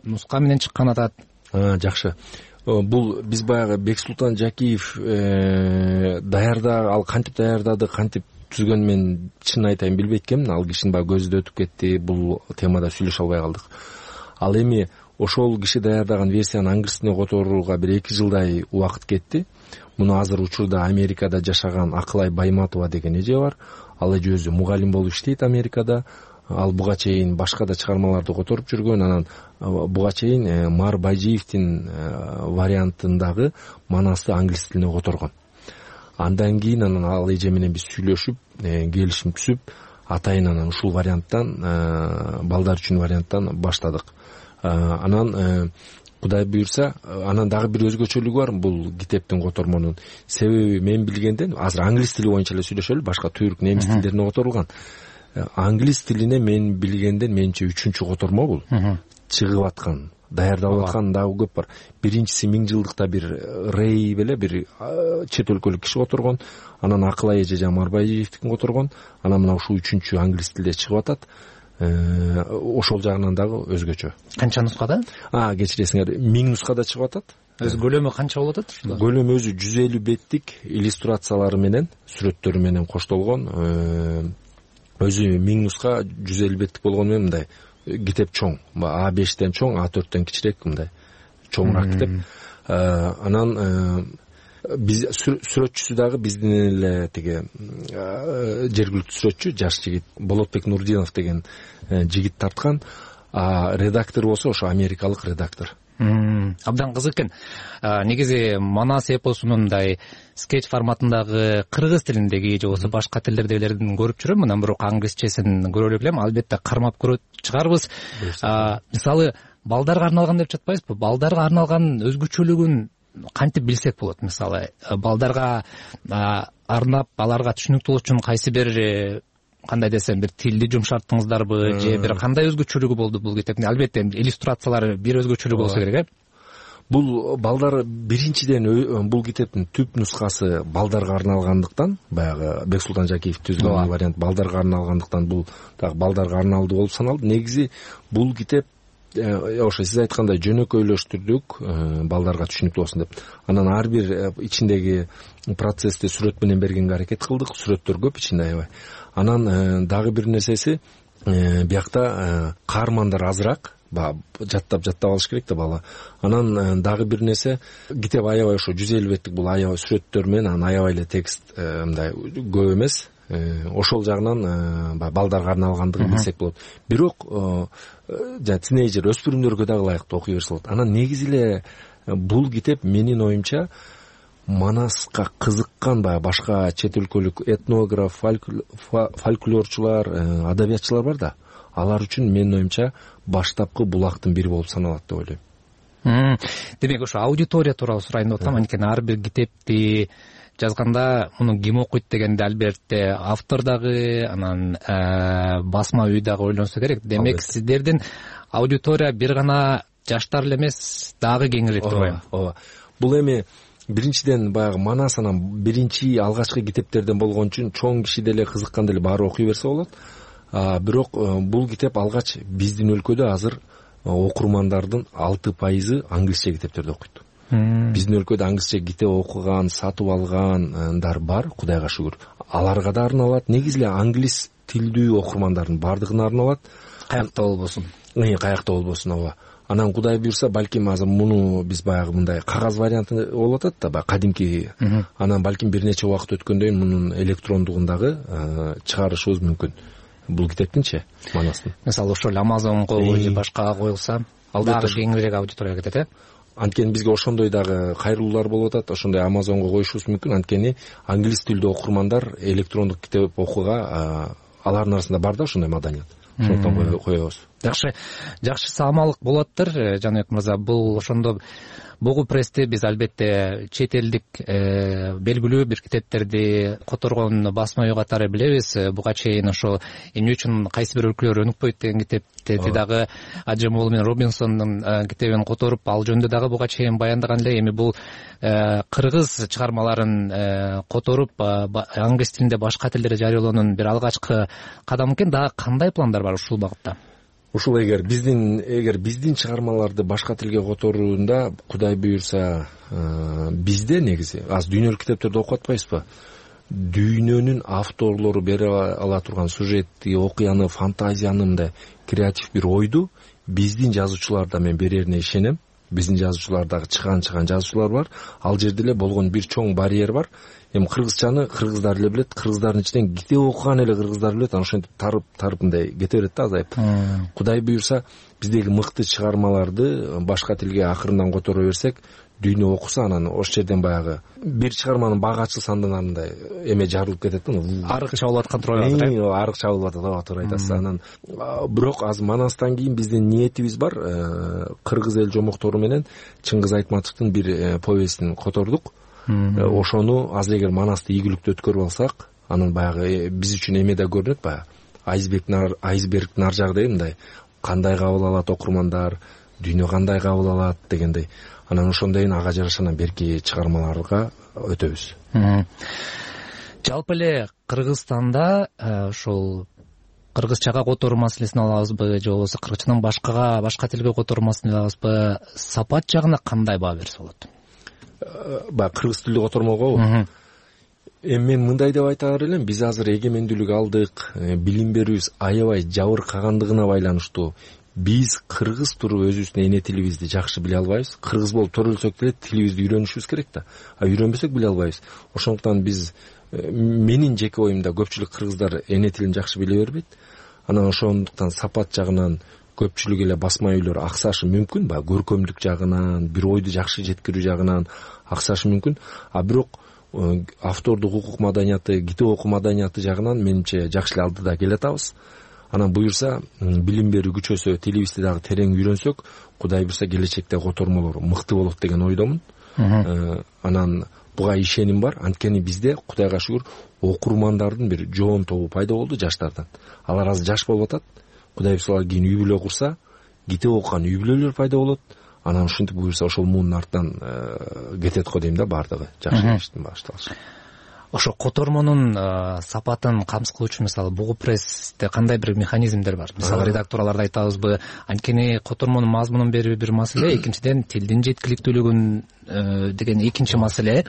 нуска менен чыккан атат? Жакшы. Бул биз баягы Бексултан Жакиев ал кантип даярдады, кантип түзгөнүн мен чын айтайын билбейт экенмин. Ал кишинин баягы көзү да өтүп кетти, бул темада сүйлөшө албай калдык. Ал эми ошол киши даярдаган версияны англис тилине которууга бир 2 жылдай убакыт кетти. Муну азыр учурда Америкада жашаган Акылай Байматова деген эже бар. Ал эже өзү мугалим болуп иштейт Америкада. Ал буга чейин башка да чыгармаларды которуп жүргөн. Анан буга чейин Мар Байжиевдин вариантындагы Манасты англис тилине которгон. Андан кийин анан ал эже менен биз сүйлөшүп, келишим түзүп, атайын анан ушул варианттан, балдар үчүн варианттан баштадык. Анан Кудай буйрса, анан дагы бир өзгөчөлүгү бар бул китептин котормонун. Себеби мен билгенден азыр англис тили боюнча эле сүйлөшөлү, башка түрк, немис тилдерине которулган. Англис тилине мен билгенден менче 3-чү котормо бул. Чыгып аткан, даярдалып аткан дагы көп бар. Биринчиси 1000 жылдыкта бир Рей беле бир чет өлкөлүк киши которгон, анан Акылай эже Марбайжиевдикин которгон, анан мына ушул 3-чү англис тилде чыгып атат. Ошол жагынан дагы өзгөчө. Канча нускада? Кечиресиңер, 1000 нускада чыгып атат. Өзү көлөмү канча болуп атат? Көлөмү өзү 150 беттик иллюстрациялары менен, сүрөттөрү менен коштолгон. Өзү 1000 нуска 150 беттик болгону менен мындай китеп чоң. А5тен чоң, А4тен кичирээк, мындай чоңураак китеп. Анан биз сүрөтчүсү дагы биздин эле тиги жергиликтүү сүрөтчү, жаш жигит Болотбек Нурдинов деген жигит тарткан. Редактор болсо ошо америкалык редактор. Абдан кызык экен. Негизи Манас эпосунун мындай скетч форматындагы кыргыз тилиндеги же болбосо башка тилдердегилерин көрүп жүрөм, анан бирок англисчесин көрө элек элем. Албетте кармап көрөт чыгарбыз. Мисалы балдарга арналган деп жатпайсызбы? Балдарга арналган өзгөчөлүгүн кантип билсек болот? Мисалы балдарга арнап аларга түшүнүктүү болуш үчүн кайсы бир кандай десем бир тилди жумшарттыңыздарбы же бир кандай өзгөчөлүгү болду бул китептин? Албетте иллюстрациялары бир өзгөчөлүгү болсо керек. Бул балдар биринчиден бул китептин түп нускасы балдарга арналгандыктан, баягы Бексултан Жакиев түзгөн вариант балдарга арналгандыктан бул дагы балдарга арналды болуп саналды. Негизи бул китеп ошо сиз айткандай жөнөкөйлөштүрдүк, балдарга түшүнүктүү болсун деп. Анан ар бир ичиндеги процессти сүрөт менен бергенге аракет кылдык. Сүрөттөр көп ичинде аябай. Анан дагы бир нерсеси, биякта каармандар азыраак, жаттап алыш керек да бала. Анан дагы бир нерсе, китеп аябай ошо 150 беттик бул аябай сүрөттөр менен, анан аябай эле текст мындай көп эмес. Ошол жагынан балдарга арналгандыгын билсек болот. Бирок тинейджер, өспүрүмдөргө дагы ылайыктуу окуй берсе болот. Анан негизи эле бул китеп менин оюмча Манаска кызыккан башка чет өлкөлүк этнограф, фольклорчулар, адабиятчылар бар да. Алар үчүн менин оюмча баштапкы булактын бири болуп саналат деп ойлойм. Демек ошо аудитория тууралуу сурайын деп атам. Анткени ар бир китепти жазганда муну ким окуйт дегенде албетте автор дагы, анан басма үй дагы ойлонсо керек. Демек сиздердин аудитория бир гана жаштар эле эмес, дагы кеңирээк деп ойлойм. Ооба. Бул эми биринчиден баягы Манас анан биринчи алгачкы китептерден болгон үчүн чоң киши деле кызыккан деле баары окуй берсе болот. Бирок бул китеп алгач биздин өлкөдө азыр окурмандардын 6% англисче китептерди окуйт. Биздин өлкөдө англисче китеп окуган, сатып алгандар бар, Кудайга шүгүр. Аларга да арналат. Негизи эле англис тилдүү окурмандардын бардыгына арналат. Каякта болбосун. Каякта болбосун, ооба. Анан Кудай буйрса, балким азыр муну биз баягы мындай кагаз варианты болуп атат да, кадимки. Анан балким бир нече убакыт өткөндөн кийин мунун электрондугун дагы чыгарышыбыз мүмкүн. Бул китептинчи Манастын. Мисалы ошол Amazonго же башкага коюлса, дагы кеңирээк аудиторияга кетет, Анткени бизге ошондой дагы кайрылуулар болуп атат. Ошондой Amazonго коюшубуз мүмкүн. Анткени англис тилдүү окурмандар электрондук китеп окууга алардын арасында бар да ошондой маданият. Ошондон коебуз. жакшы саамалык болоттур. Жаныбек мырза, бул ошондо бугу прессти биз албетте чет элдик белгилүү бир китептерди которгон басма үй катары билебиз. Буга чейин ошо эмне үчүн кайсы бир өлкөлөр өнүкпөйт деген китепти дагы Аджемол менен Робинсондун китебин которуп, ал жөнүндө дагы буга чейин баяндаган эле. Эми бул кыргыз чыгармаларын которуп англис тилинде башка тилдерде жарыялоонун бир алгачкы кадамы экен. Дагы кандай пландар бар ушул багытта? Ушул эгер биздин чыгармаларды башка тилге которуунда Кудай буйрса бизде негизи азыр дүйнөлүк китептерди окуп атпайбызбы? Дүйнөнүн авторлору бере ала турган сюжетти, окуяны, фантазияны, мындай креатив бир ойду биздин жазуучуларда мен берерине ишенем. Биздин жазуучулардагы чыган жазуучулар бар. Ал жерде эле болгон бир чоң барьер бар. Эми кыргызчаны кыргыздар эле билет, кыргыздардын ичинен китеп окуган эле кыргыздар билет. Анан ошентип тарып мындай кете берет да азайып. Кудай буйрса биздеги мыкты чыгармаларды башка тилге акырындан которо берсек, дүйнө окуса, анан ошол жерден баягы бир чыгарманын багы ачылса андай эме жарылып кетет да. Арык чабылып аткан туура айтасыз. Арык чабылып атат, туура айтасыз. Анан бирок азыр Манастан кийин биздин ниетибиз бар. Кыргыз эл жомоктору менен Чыңгыз Айтматовдун бир повестин котордук. Ошону азыр эгер Манасты ийгиликтүү өткөрүп алсак, анан баягы биз үчүн эме да көрүнөт, баягы айсбергдин ар жагы мындай кандай кабыл алат окурмандар, дүйнө кандай кабыл алат дегендей. Анан ошондойн ага жараша анан берки чыгармаларга өтөбүз. Жалпы эле Кыргызстанда ошол кыргызчага которуу маселесин алабызбы, же болбосо кыргызчадан башка тилге которуу маселесин алабызбы? Сапат жагына кандай баа берсе болот? Баягы кыргыз тилди котормогобу? Эми мен мындай деп айтаар элем, биз азыр эгемендүүлүк алдык, билим берүүбүз аябай жабыркагандыгына байланыштуу. Биз кыргыз туруп өзүбүздүн эне тилибизди жакшы биле албайбыз. Кыргыз болуп төрөлсөк деле тилибизди үйрөнүшүбүз керек да. Үйрөнбөсөк биле албайбыз. Ошондуктан биз, менин жеке оюмда, көпчүлүк кыргыздар эне тилин жакшы биле бербейт. Анан ошондуктан сапат жагынан көпчүлүк эле басма үйлөр аксашы мүмкүн, баягы көркөмдүк жагынан, бир ойду жакшы жеткирүү жагынан аксашы мүмкүн. Бирок автордук укук маданияты, китеп окуу маданияты жагынан менимче жакшы эле алдыда келатабыз. Анан буйрса, билим берүү күчөсө, тилибизди дагы терең үйрөнсөк, Кудай буйрса келечекте котормолор мыкты болот деген ойдомун. Анан буга ишеним бар. Анткени бизде Кудайга шүгүр окурмандардын бир жоон тобу пайда болду жаштардан. Алар азыр жаш болуп атат. Кудай буйрса кийин үй бүлө курса, китеп окуган үй бүлөлөр пайда болот. Анан ушинтип буйрса ошол муунун артынан кетет го дейм да, бардыгы жакшы иштин башталышы. Ошо котормонун сапатын камсыз кылуучу мисалы бугу прессте кандай бир механизмдер бар? Мисалы редакторлорду айтабызбы, анткени котормонун мазмунун берүү бир маселе, экинчиден тилдин жеткиликтүүлүгүн деген экинчи маселе.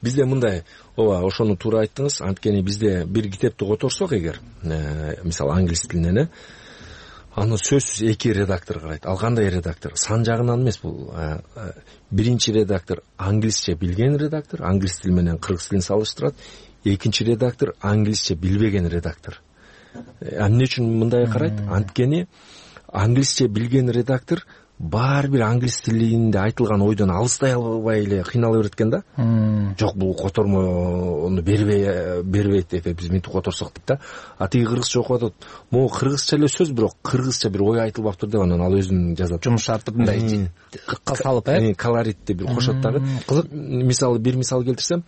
Бизде мындай, ошону туура айттыңыз. Анткени бизде бир китепти которсок эгер, мисалы англис тилинен, аны сөзсүз эки редактор карайт. Ал кандай редактор? Сан жагынан эмес бул. Биринчи редактор англисче билген редактор, англис тили менен кыргыз тилин салыштырат. Экинчи редактор англисче билбеген редактор. Эмне үчүн мындай карайт? Анткени англисче билген редактор баары бир англис тилинде айтылган ойдон алыстай албай эле кыйнала берет экен да. Жок, бул котормону бербейт деп биз мынтип которсок дейт да. Тиги кыргызча окуп атат. Могу кыргызча эле сөз, бирок кыргызча бир ой айтылбаптыр деп анан ал өзүн жазат. Жумуш шартып мындай кыкка салып, колоритти бир кошот дагы. Мисалы бир мисал келтирсем,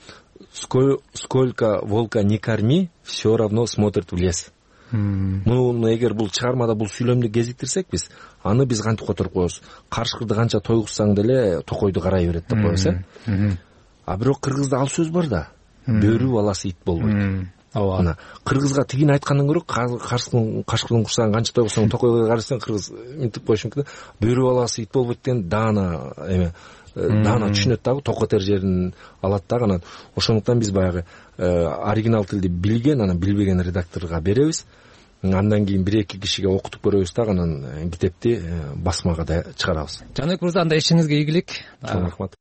сколько волка не корми, все равно смотрит в лес. Муну эгер бул чыгармада бул сүйлөмдү кезиктирсек биз, аны биз кантип которуп коебуз? Карышкырды канча тойгузсаң деле токойду карай берет деп коебуз, бирок кыргызда ал сөз бар да. Бөрү баласы ит болбойт. Ооба. Кыргызга тигин айткандан көрө кашкырдын курсагын канча тойгузсаң токойго карасаң, кыргыз мынтип коюш мүмкүн. Бөрү баласы ит болбойт деген даана түшүнөт дагы, токотер жерин алат дагы. Анан ошондуктан биз баягы оригинал тилди билген, анан билбеген редакторго беребиз. Андан кийин бир эки кишиге окутуп көрөбүз дагы, анан китепти басмага да чыгарабыз. Жаныбек мырза, анда ишиңизге ийгилик. Рахмат.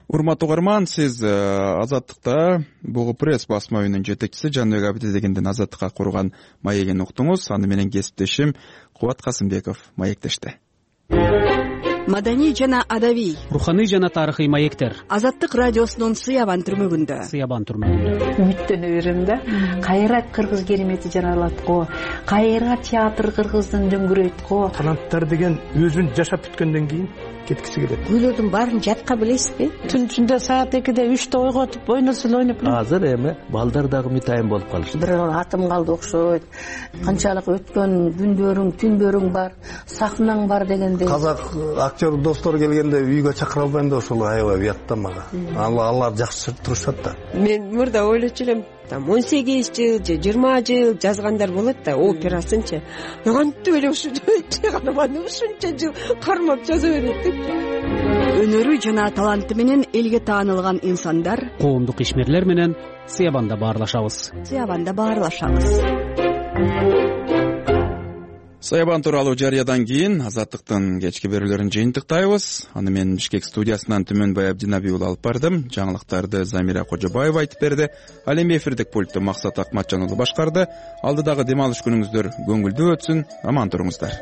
Урматтуу угарман, сиз Азаттыкта бугу пресс басма үйүнүн жетекчиси Жаныбек Абдидегендин Азаттыкка курган маегин уктуңуз. Аны менен кесиптешим Кубат Касымбеков маектешти. маданий жана адабий, руханий жана тарыхый маектер. Азаттык радиосунун Сыябан түрмөгүндө. Үмүттөнө берем да. Кайра кыргыз керемети жаралат го. Кайра театр кыргыздын дөңгүрөйт го. Таланттар деген өзүн жашап бүткөндөн кийин кеткиси келет. Гүлөрдүн баарын жатка билесизби? Түн ичинде саат 2-де 3-те ойготуп, ойносул ойноп. Азыр эми балдар дагы мытайын болуп калышты. Бирөө атым калды окшойт. Канчалык өткөн күндөрүң, түндөрүң бар, сахнаң бар дегендей. Казак актер достор келгенде үйгө чакыра албайм да ошол аябай уятта мага. Алар жакшы турушат да. Мен мурда ойлочу элем, 18 жыл же 20 жыл жазгандар болот да, операсынчы. Кантип эле ушунча жыл кармап жаза берет деп. Өнөрү жана таланты менен элге таанылган инсандар, коомдук ишмерлер менен Сыябанда баарлашабыз. Сыябан тууралуу жарыядан кийин Азаттыктын кечки берүүлөрүн жыйынтыктайбыз. Аны мен Бишкек студиясынан Түмөнбай Абдинаби уулу алып бардым. Жаңылыктарды Замира Кожобаева айтып берди. Ал эми эфирдик пультту Максат Акматжан уулу башкарды. Алдыдагы дем алыш күнүңүздөр көңүлдүү өтсүн. Аман туруңуздар.